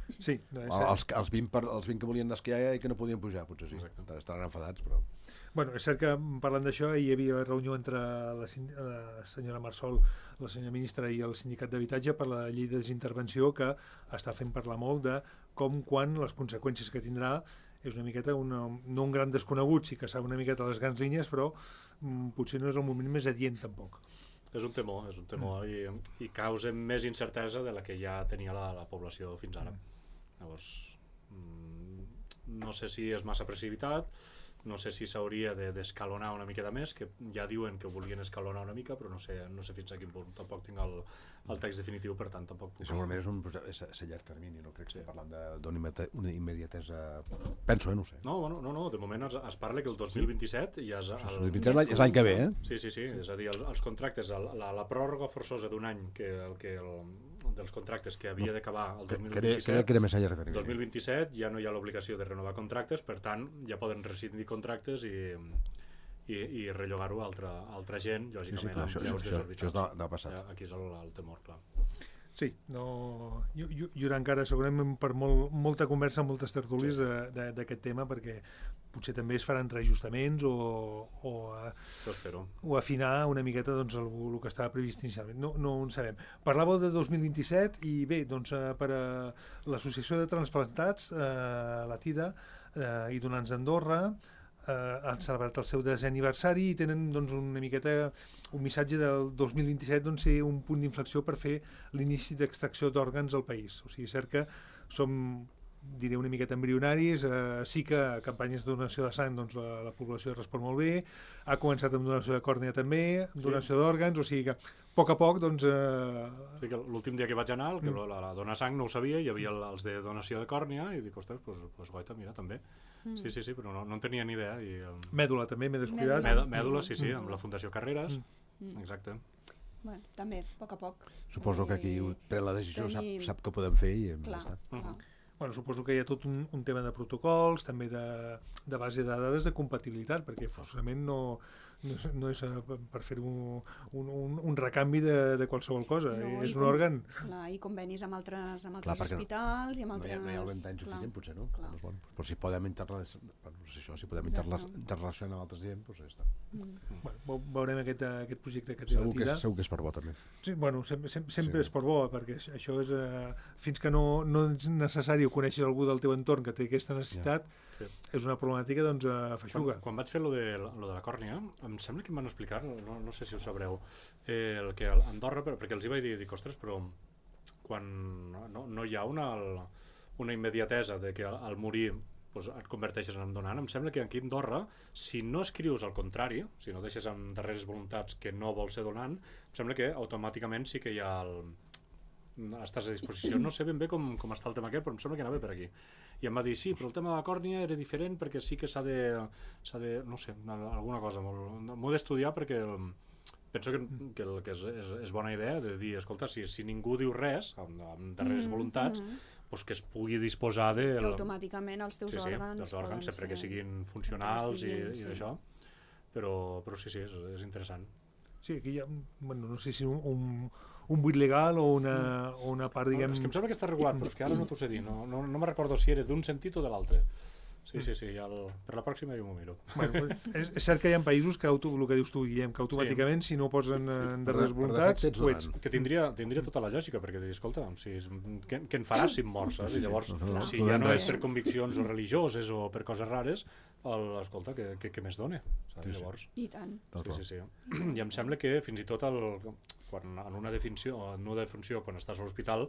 Sí. Els 20 que volien esquiar i que no podien pujar, potser sí. Estaran enfadats, però... Bueno, és cert que parlant d'això hi havia reunió entre la senyora Marsol, la senyora ministra i el sindicat d'habitatge per la llei de desintervenció, que està fent parlar molt de com, quan, les conseqüències que tindrà. És una miqueta, no un gran desconegut, sí que sap una miqueta les grans línies, però potser no és el moment més adient tampoc. És un temor i causa més incertesa de la que ja tenia la població fins ara. Llavors, no sé si és massa precipitat, no sé si s'hauria d'escalonar una miqueta més, que ja diuen que volien escalonar una mica, però no sé fins a quin punt. Tampoc tinc el text definitiu, per tant tampoc puc... Segurament és a llarg termini, no crec que parlant d'una immediatesa... Penso, no sé. No, de moment es parla que el 2027 ja és... El 2027 és l'any que ve, eh? Sí, és a dir, els contractes, la pròrroga forçosa d'un any dels contractes que havia d'acabar el 2027, crec que era més a llarg termini. 2027 ja no hi ha l'obligació de renovar contractes, per tant ja poden rescindir contractes i rellogar-ho a altra gent, lògicament, amb preus desorbitats. Això ha passat. Aquí és el temor, clar. Sí, hi haurà encara segurament per molta conversa, moltes tertúlies d'aquest tema, perquè potser també es faran reajustaments o afinar una miqueta el que estava previst inicialment. No ho sabem. Parlàveu de 2027 i bé, doncs, per a l'Associació de Transplantats, la TIDA, i donants d'Andorra, han celebrat el seu 10è aniversari i tenen una miqueta un missatge del 2027 ser un punt d'inflexió per fer l'inici d'extracció d'òrgans al país. O sigui, és cert que som, diré, una miqueta embrionaris, sí que campanyes de donació de sang, la població respon molt bé, ha començat amb donació de còrnea també, donació d'òrgans, o sigui que a poc, l'últim dia que vaig anar, la donar sang no ho sabia, hi havia els de donació de còrnea i dic, ostres, doncs goita, mira, també. Sí, però no en tenia ni idea. Mèdula també, m'he descuidat. Mèdula, sí, amb la Fundació Carreras, exacte. Bueno, també, a poc. Suposo que qui pren la decisió sap què podem fer i ja està. Bueno, suposo que hi ha tot un tema de protocols, també de base de dades de compatibilitat, perquè forçament no és per fer un recanvi de qualsevol cosa, és un òrgan. Clar, i convenis amb altres hospitals i amb altres... No hi ha el ventall suficient, potser, no? Però si podem interrelacionar amb altres gent, doncs ja està. Veurem aquest projecte que té la TIDA. Segur que és per bo, també. Sí, bueno, sempre és per bo, perquè això és... Fins que no és necessari o conèixer algú del teu entorn que té aquesta necessitat, és una problemàtica, feixuga. Quan vaig fer lo de la còrnea, em sembla que em van explicar, no sé si ho sabreu, el que a Andorra, perquè els hi vaig dir, ostres, però quan no hi ha una immediatesa de que al morir et converteixes en donant, em sembla que aquí a Andorra, si no escrius al contrari, si no deixes amb darreres voluntats que no vols ser donant, em sembla que automàticament sí que hi ha estàs a disposició. No sé ben bé com està el tema aquest, però em sembla que anava per aquí. I em va dir, sí, però el tema de la còrnea era diferent perquè sí que s'ha de no sé, alguna cosa. M'ho he d'estudiar perquè penso que és bona idea de dir, escolta, si ningú diu res, amb darreres voluntats, doncs que es pugui disposar de... Que automàticament els teus òrgans... els òrgans, sempre que siguin funcionals i d'això. Però sí, és interessant. Sí, aquí hi ha, no sé si un buit legal o una part, diguem... És que em sembla que està regulat, però és que ara no t'ho sé dir. No me recordo si era d'un sentit o de l'altre. Sí, ja per la pròxima jo m'ho miro. Bueno, és cert que hi ha països que, el que dius tu, Guillem, que automàticament, si no ho posen en darrers voluntats, ho ets. Que tindria tota la lògica, perquè dius, escolta, què en faràs si em mors? I llavors, si ja no és per conviccions o religioses o per coses rares, escolta, què més dona? Llavors, I tant. Sí. I em sembla que fins i tot en una defunció, quan estàs a l'hospital,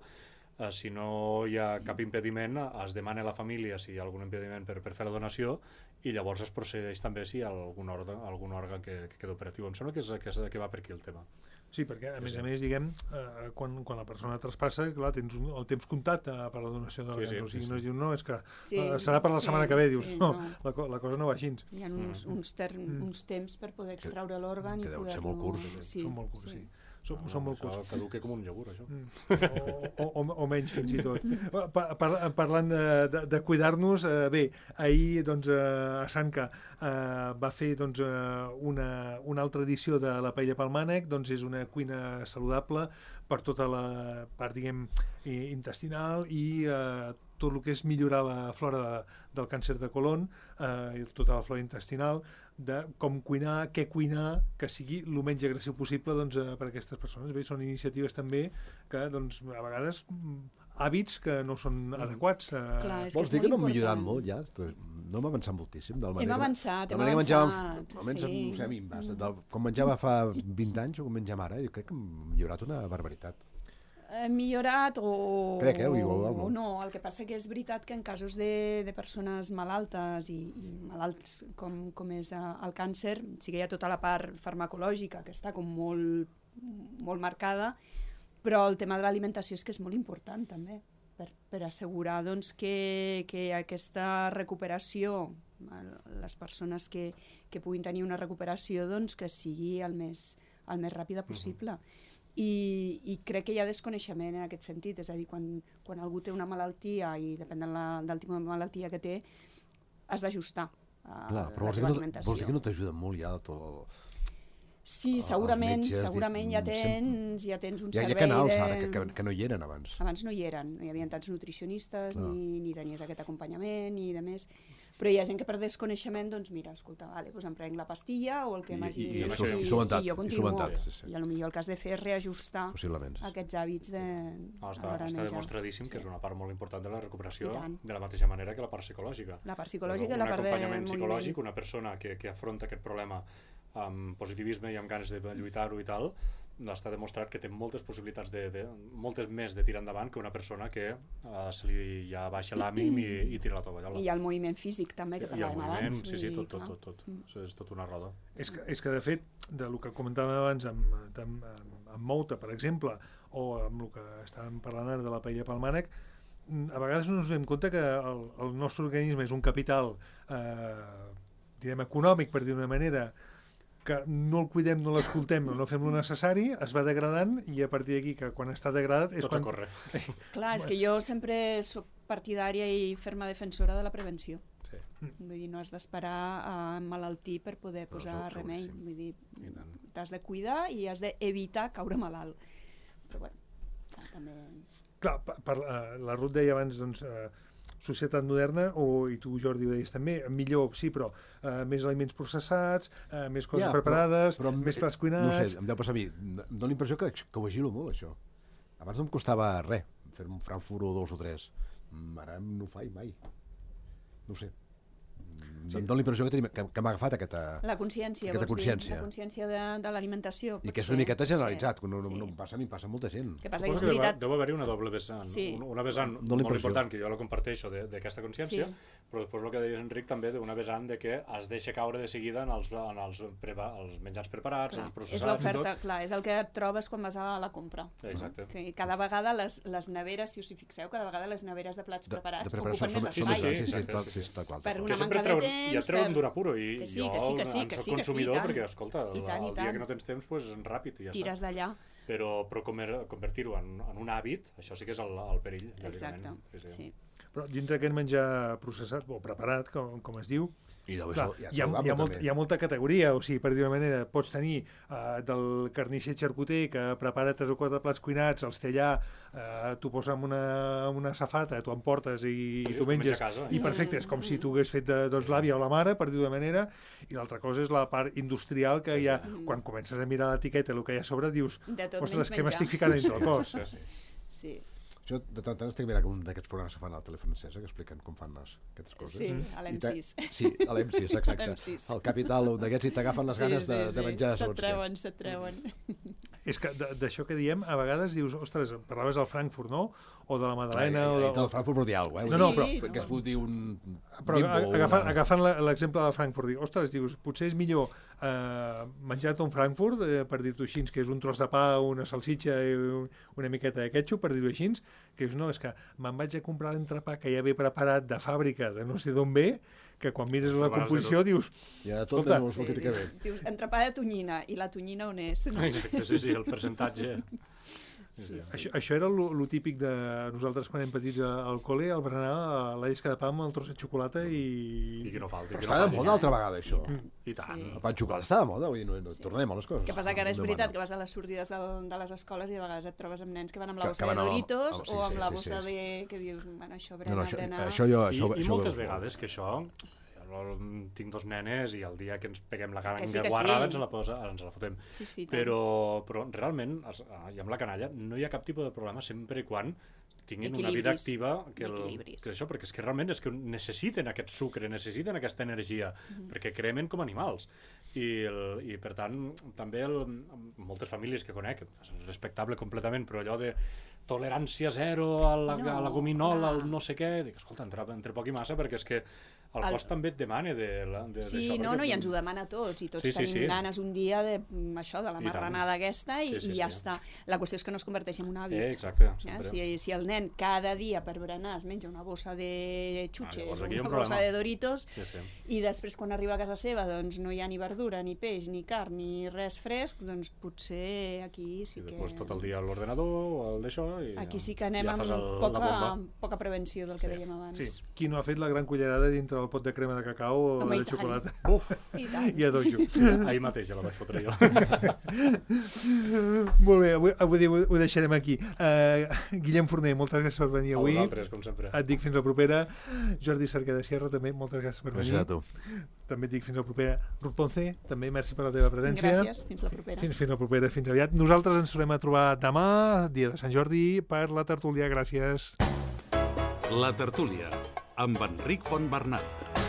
si no hi ha cap impediment, es demana a la família si hi ha algun impediment per fer la donació i llavors es procedeix també si hi ha algun òrgan que queda operatiu. Em sembla que va per aquí el tema. Sí, perquè a més, diguem, quan la persona traspassa, clar, tens el temps comptat per la donació d'òrgans, o sigui, no es diu, no, és que serà per la setmana que ve, dius, no, la cosa no va així. Hi ha uns temps per poder extraure l'òrgan i poder-lo... Que deu ser molt curts. Són molt curts, sí. Són molt curts. Caduca com un iogurt, això. O menys, fins i tot. Parlant de cuidar-nos, bé, ahir a Sanca va fer una altra edició de la paella pel mànec, és una cuina saludable per tota la part, diguem, intestinal i tot el que és millorar la flora del càncer de colon i tota la flora intestinal, de com cuinar, què cuinar, que sigui el menys agressiu possible per a aquestes persones. Bé, són iniciatives també que, a vegades, hàbits que no són adequats. Vols dir que no hem millorat molt, ja? No hem avançat moltíssim. Hem avançat. Com menjava fa 20 anys o com mengem ara, jo crec que hem millorat una barbaritat. Hem millorat o no. El que passa que és veritat que en casos de persones malaltes i malalts com és el càncer, sí que hi ha tota la part farmacològica que està com molt marcada, però el tema de l'alimentació és que és molt important també per assegurar que aquesta recuperació, les persones que puguin tenir una recuperació, que sigui el més ràpida possible. I crec que hi ha desconeixement en aquest sentit, és a dir, quan algú té una malaltia i depèn del tipus de malaltia que té, has d'ajustar l'alimentació. Vols dir que no t'ajuda molt ja tot? Sí, segurament ja tens un servei... Hi ha canals ara que no hi eren abans. Abans no hi eren, no hi havia tants nutricionistes, ni tenies aquest acompanyament, ni de més. Però hi ha gent que per desconeixement, mira, escolta, em prenc la pastilla o el que m'hagi... I jo continuo. I potser el que has de fer és reajustar aquests hàbits a l'hora de menjar. Està demostradíssim que és una part molt important de la recuperació, de la mateixa manera que la part psicològica. La part psicològica i la part de moviment. Un acompanyament psicològic, una persona que afronta aquest problema amb positivisme i amb ganes de lluitar-ho i tal, està demostrat que té moltes possibilitats, moltes més de tirar endavant que una persona que se li ja baixa l'ànim i tira la tovallola. I el moviment físic també, que parlàvem abans. Sí, tot. És tot una roda. És que de fet, del que comentàvem abans amb Mouta, per exemple, o amb el que estàvem parlant ara de la paella pel mànec, a vegades no ens donem compte que el nostre organisme és un capital econòmic, per dir d'una manera, que no el cuidem, no l'escoltem, no fem lo necessari, es va degradant i a partir d'aquí, que quan està degradat... Tots a córrer. Clar, és que jo sempre soc partidària i ferma defensora de la prevenció. Vull dir, no has d'esperar a emmalaltir per poder posar remei. Vull dir, t'has de cuidar i has d'evitar caure malalt. Però bueno, també... Clar, la Ruth deia abans, societat moderna, i tu, Jordi, ho deies també, millor, sí, però més aliments processats, més coses preparades, més plats cuinats... No sé, em deu passar a mi. Em dóna l'impressió que ho vigilo molt, això. Abans no em costava res fer un Frankfurt o 2 o 3. Ara no ho faig mai. No ho sé. Em dóna l'impressió que m'ha agafat aquesta consciència. La consciència de l'alimentació. I que és una miqueta generalitzat, no em passa a mi, passa a molta gent. Deu haver-hi una doble vessant. Una vessant molt important, que jo la comparteixo, d'aquesta consciència, però després el que deia Enric també d'una vessant de que es deixa caure de seguida en els menjars preparats, els processats. És l'oferta, clar, és el que et trobes quan vas a la compra. Exacte. Cada vegada les neveres, si us hi fixeu, cada vegada les neveres de plats preparats ocupen més espai. Per una manca de temps... I et treuen d'un apuro, i jo soc consumidor perquè, escolta, el dia que no tens temps, és ràpid i ja està. Tires d'allà. Però convertir-ho en un hàbit, això sí que és el perill. Exacte, sí. Però dintre aquest menjar processat o preparat, com es diu, I llavors clar, hi hi ha molta categoria, o sigui, per dir-ho manera, pots tenir del carnisser xarcuter que prepara 3 o 4 plats cuinats, els té allà, t'ho posa en una safata, t'ho emportes i Sí, t'ho menges, a casa. i perfecte, és com si t'ho hagués fet l'àvia o la mare, per dir-ho de manera, i l'altra cosa és la part industrial que hi ha, quan comences a mirar l'etiqueta, el que hi ha a sobre, dius, De tot ostres, menys què menjar. m'estic ficant dintre el cos? Sí. Jo de tant en tant estic mirant un d'aquests programes que fan a la tele francesa que expliquen com fan aquestes coses. Sí, a l'M6. Sí, a l'M6, exacte. l'M6. El Capital, un d'aquests, i t'agafen les ganes de menjar. Se't treuen. És que d'això que diem, a vegades dius, ostres, parlaves del Frankfurt, no? O de la Madalena, I del Frankfurt vol dir alguna cosa, No, però que es pot dir un Però bimbo, agafant l'exemple del Frankfurt, dic, ostres, dius, potser és millor menjar-te un Frankfurt, per dir-t'ho així, que és un tros de pa, una salsitxa i una miqueta de ketchup, per dir-ho així, que dius, no, és que me'n vaig a comprar l'entrepà que ja ve preparat de fàbrica, de no sé d'on ve, que quan mires la composició dius... Ja tot escolta, no és el que té que ver. Dius, entrepà de tonyina, i la tonyina on és? No? Exacte, sí, el percentatge... Això era lo típic de nosaltres quan érem petits al col·le, al berenar la llesca de pa amb el tros de xocolata I que no falti. Però està de moda altra vegada, això. I tant. Sí. El pa de xocolata està de moda, vull dir, no tornem a les coses. El que passa que ara és veritat que vas a les sortides de les escoles i a vegades et trobes amb nens que van amb la bossa de Doritos o amb la bossa de... que dius, bueno, això berenar... I moltes vegades que això... Tinc 2 nenes i el dia que ens peguem la cara en guarrada ens la fotem. Sí, però realment, i amb la canalla, no hi ha cap tipus de problema sempre i quan tinguin una vida activa que això, perquè és que realment és que necessiten aquest sucre, necessiten aquesta energia, perquè cremen com animals. I per tant, també moltes famílies que conec, és respectable completament, però allò de tolerància zero a la gominola, al no sé què, dic, escolta, entre poc i massa, perquè és que el cos també et demana Sí, no, i ens ho demana a tots, i tots tenim ganes un dia de la marranada aquesta i ja està. La qüestió és que no es converteixi en un hàbit. Exacte. Si el nen cada dia per berenar es menja una bossa de xutxes o una bossa de Doritos i després quan arriba a casa seva doncs no hi ha ni verdura, ni peix, ni carn, ni res fresc, doncs potser aquí sí que... I després tot el dia a l'ordenador o al d'això i... Aquí sí que anem amb poca prevenció del que dèiem abans. Sí, qui no ha fet la gran cullerada dintre del pot de crema de cacau o de xocolata? I a dojo. Ahir mateix ja la vaig fotre jo. Molt bé, avui ho deixarem aquí. Guillem Forner, moltes gràcies per venir avui. A vosaltres, com sempre. Et dic fins la propera. Jordi Cerquer de Sierra, també, moltes gràcies per venir. Gràcies a tu. També et dic fins la propera. Ruth Ponce, també merci per la teva presència. Gràcies, fins la propera. Fins la propera, fins aviat. Nosaltres ens tornem a trobar demà, dia de Sant Jordi, per la tertúlia. Gràcies. La tertúlia, amb Enric Fontbernat.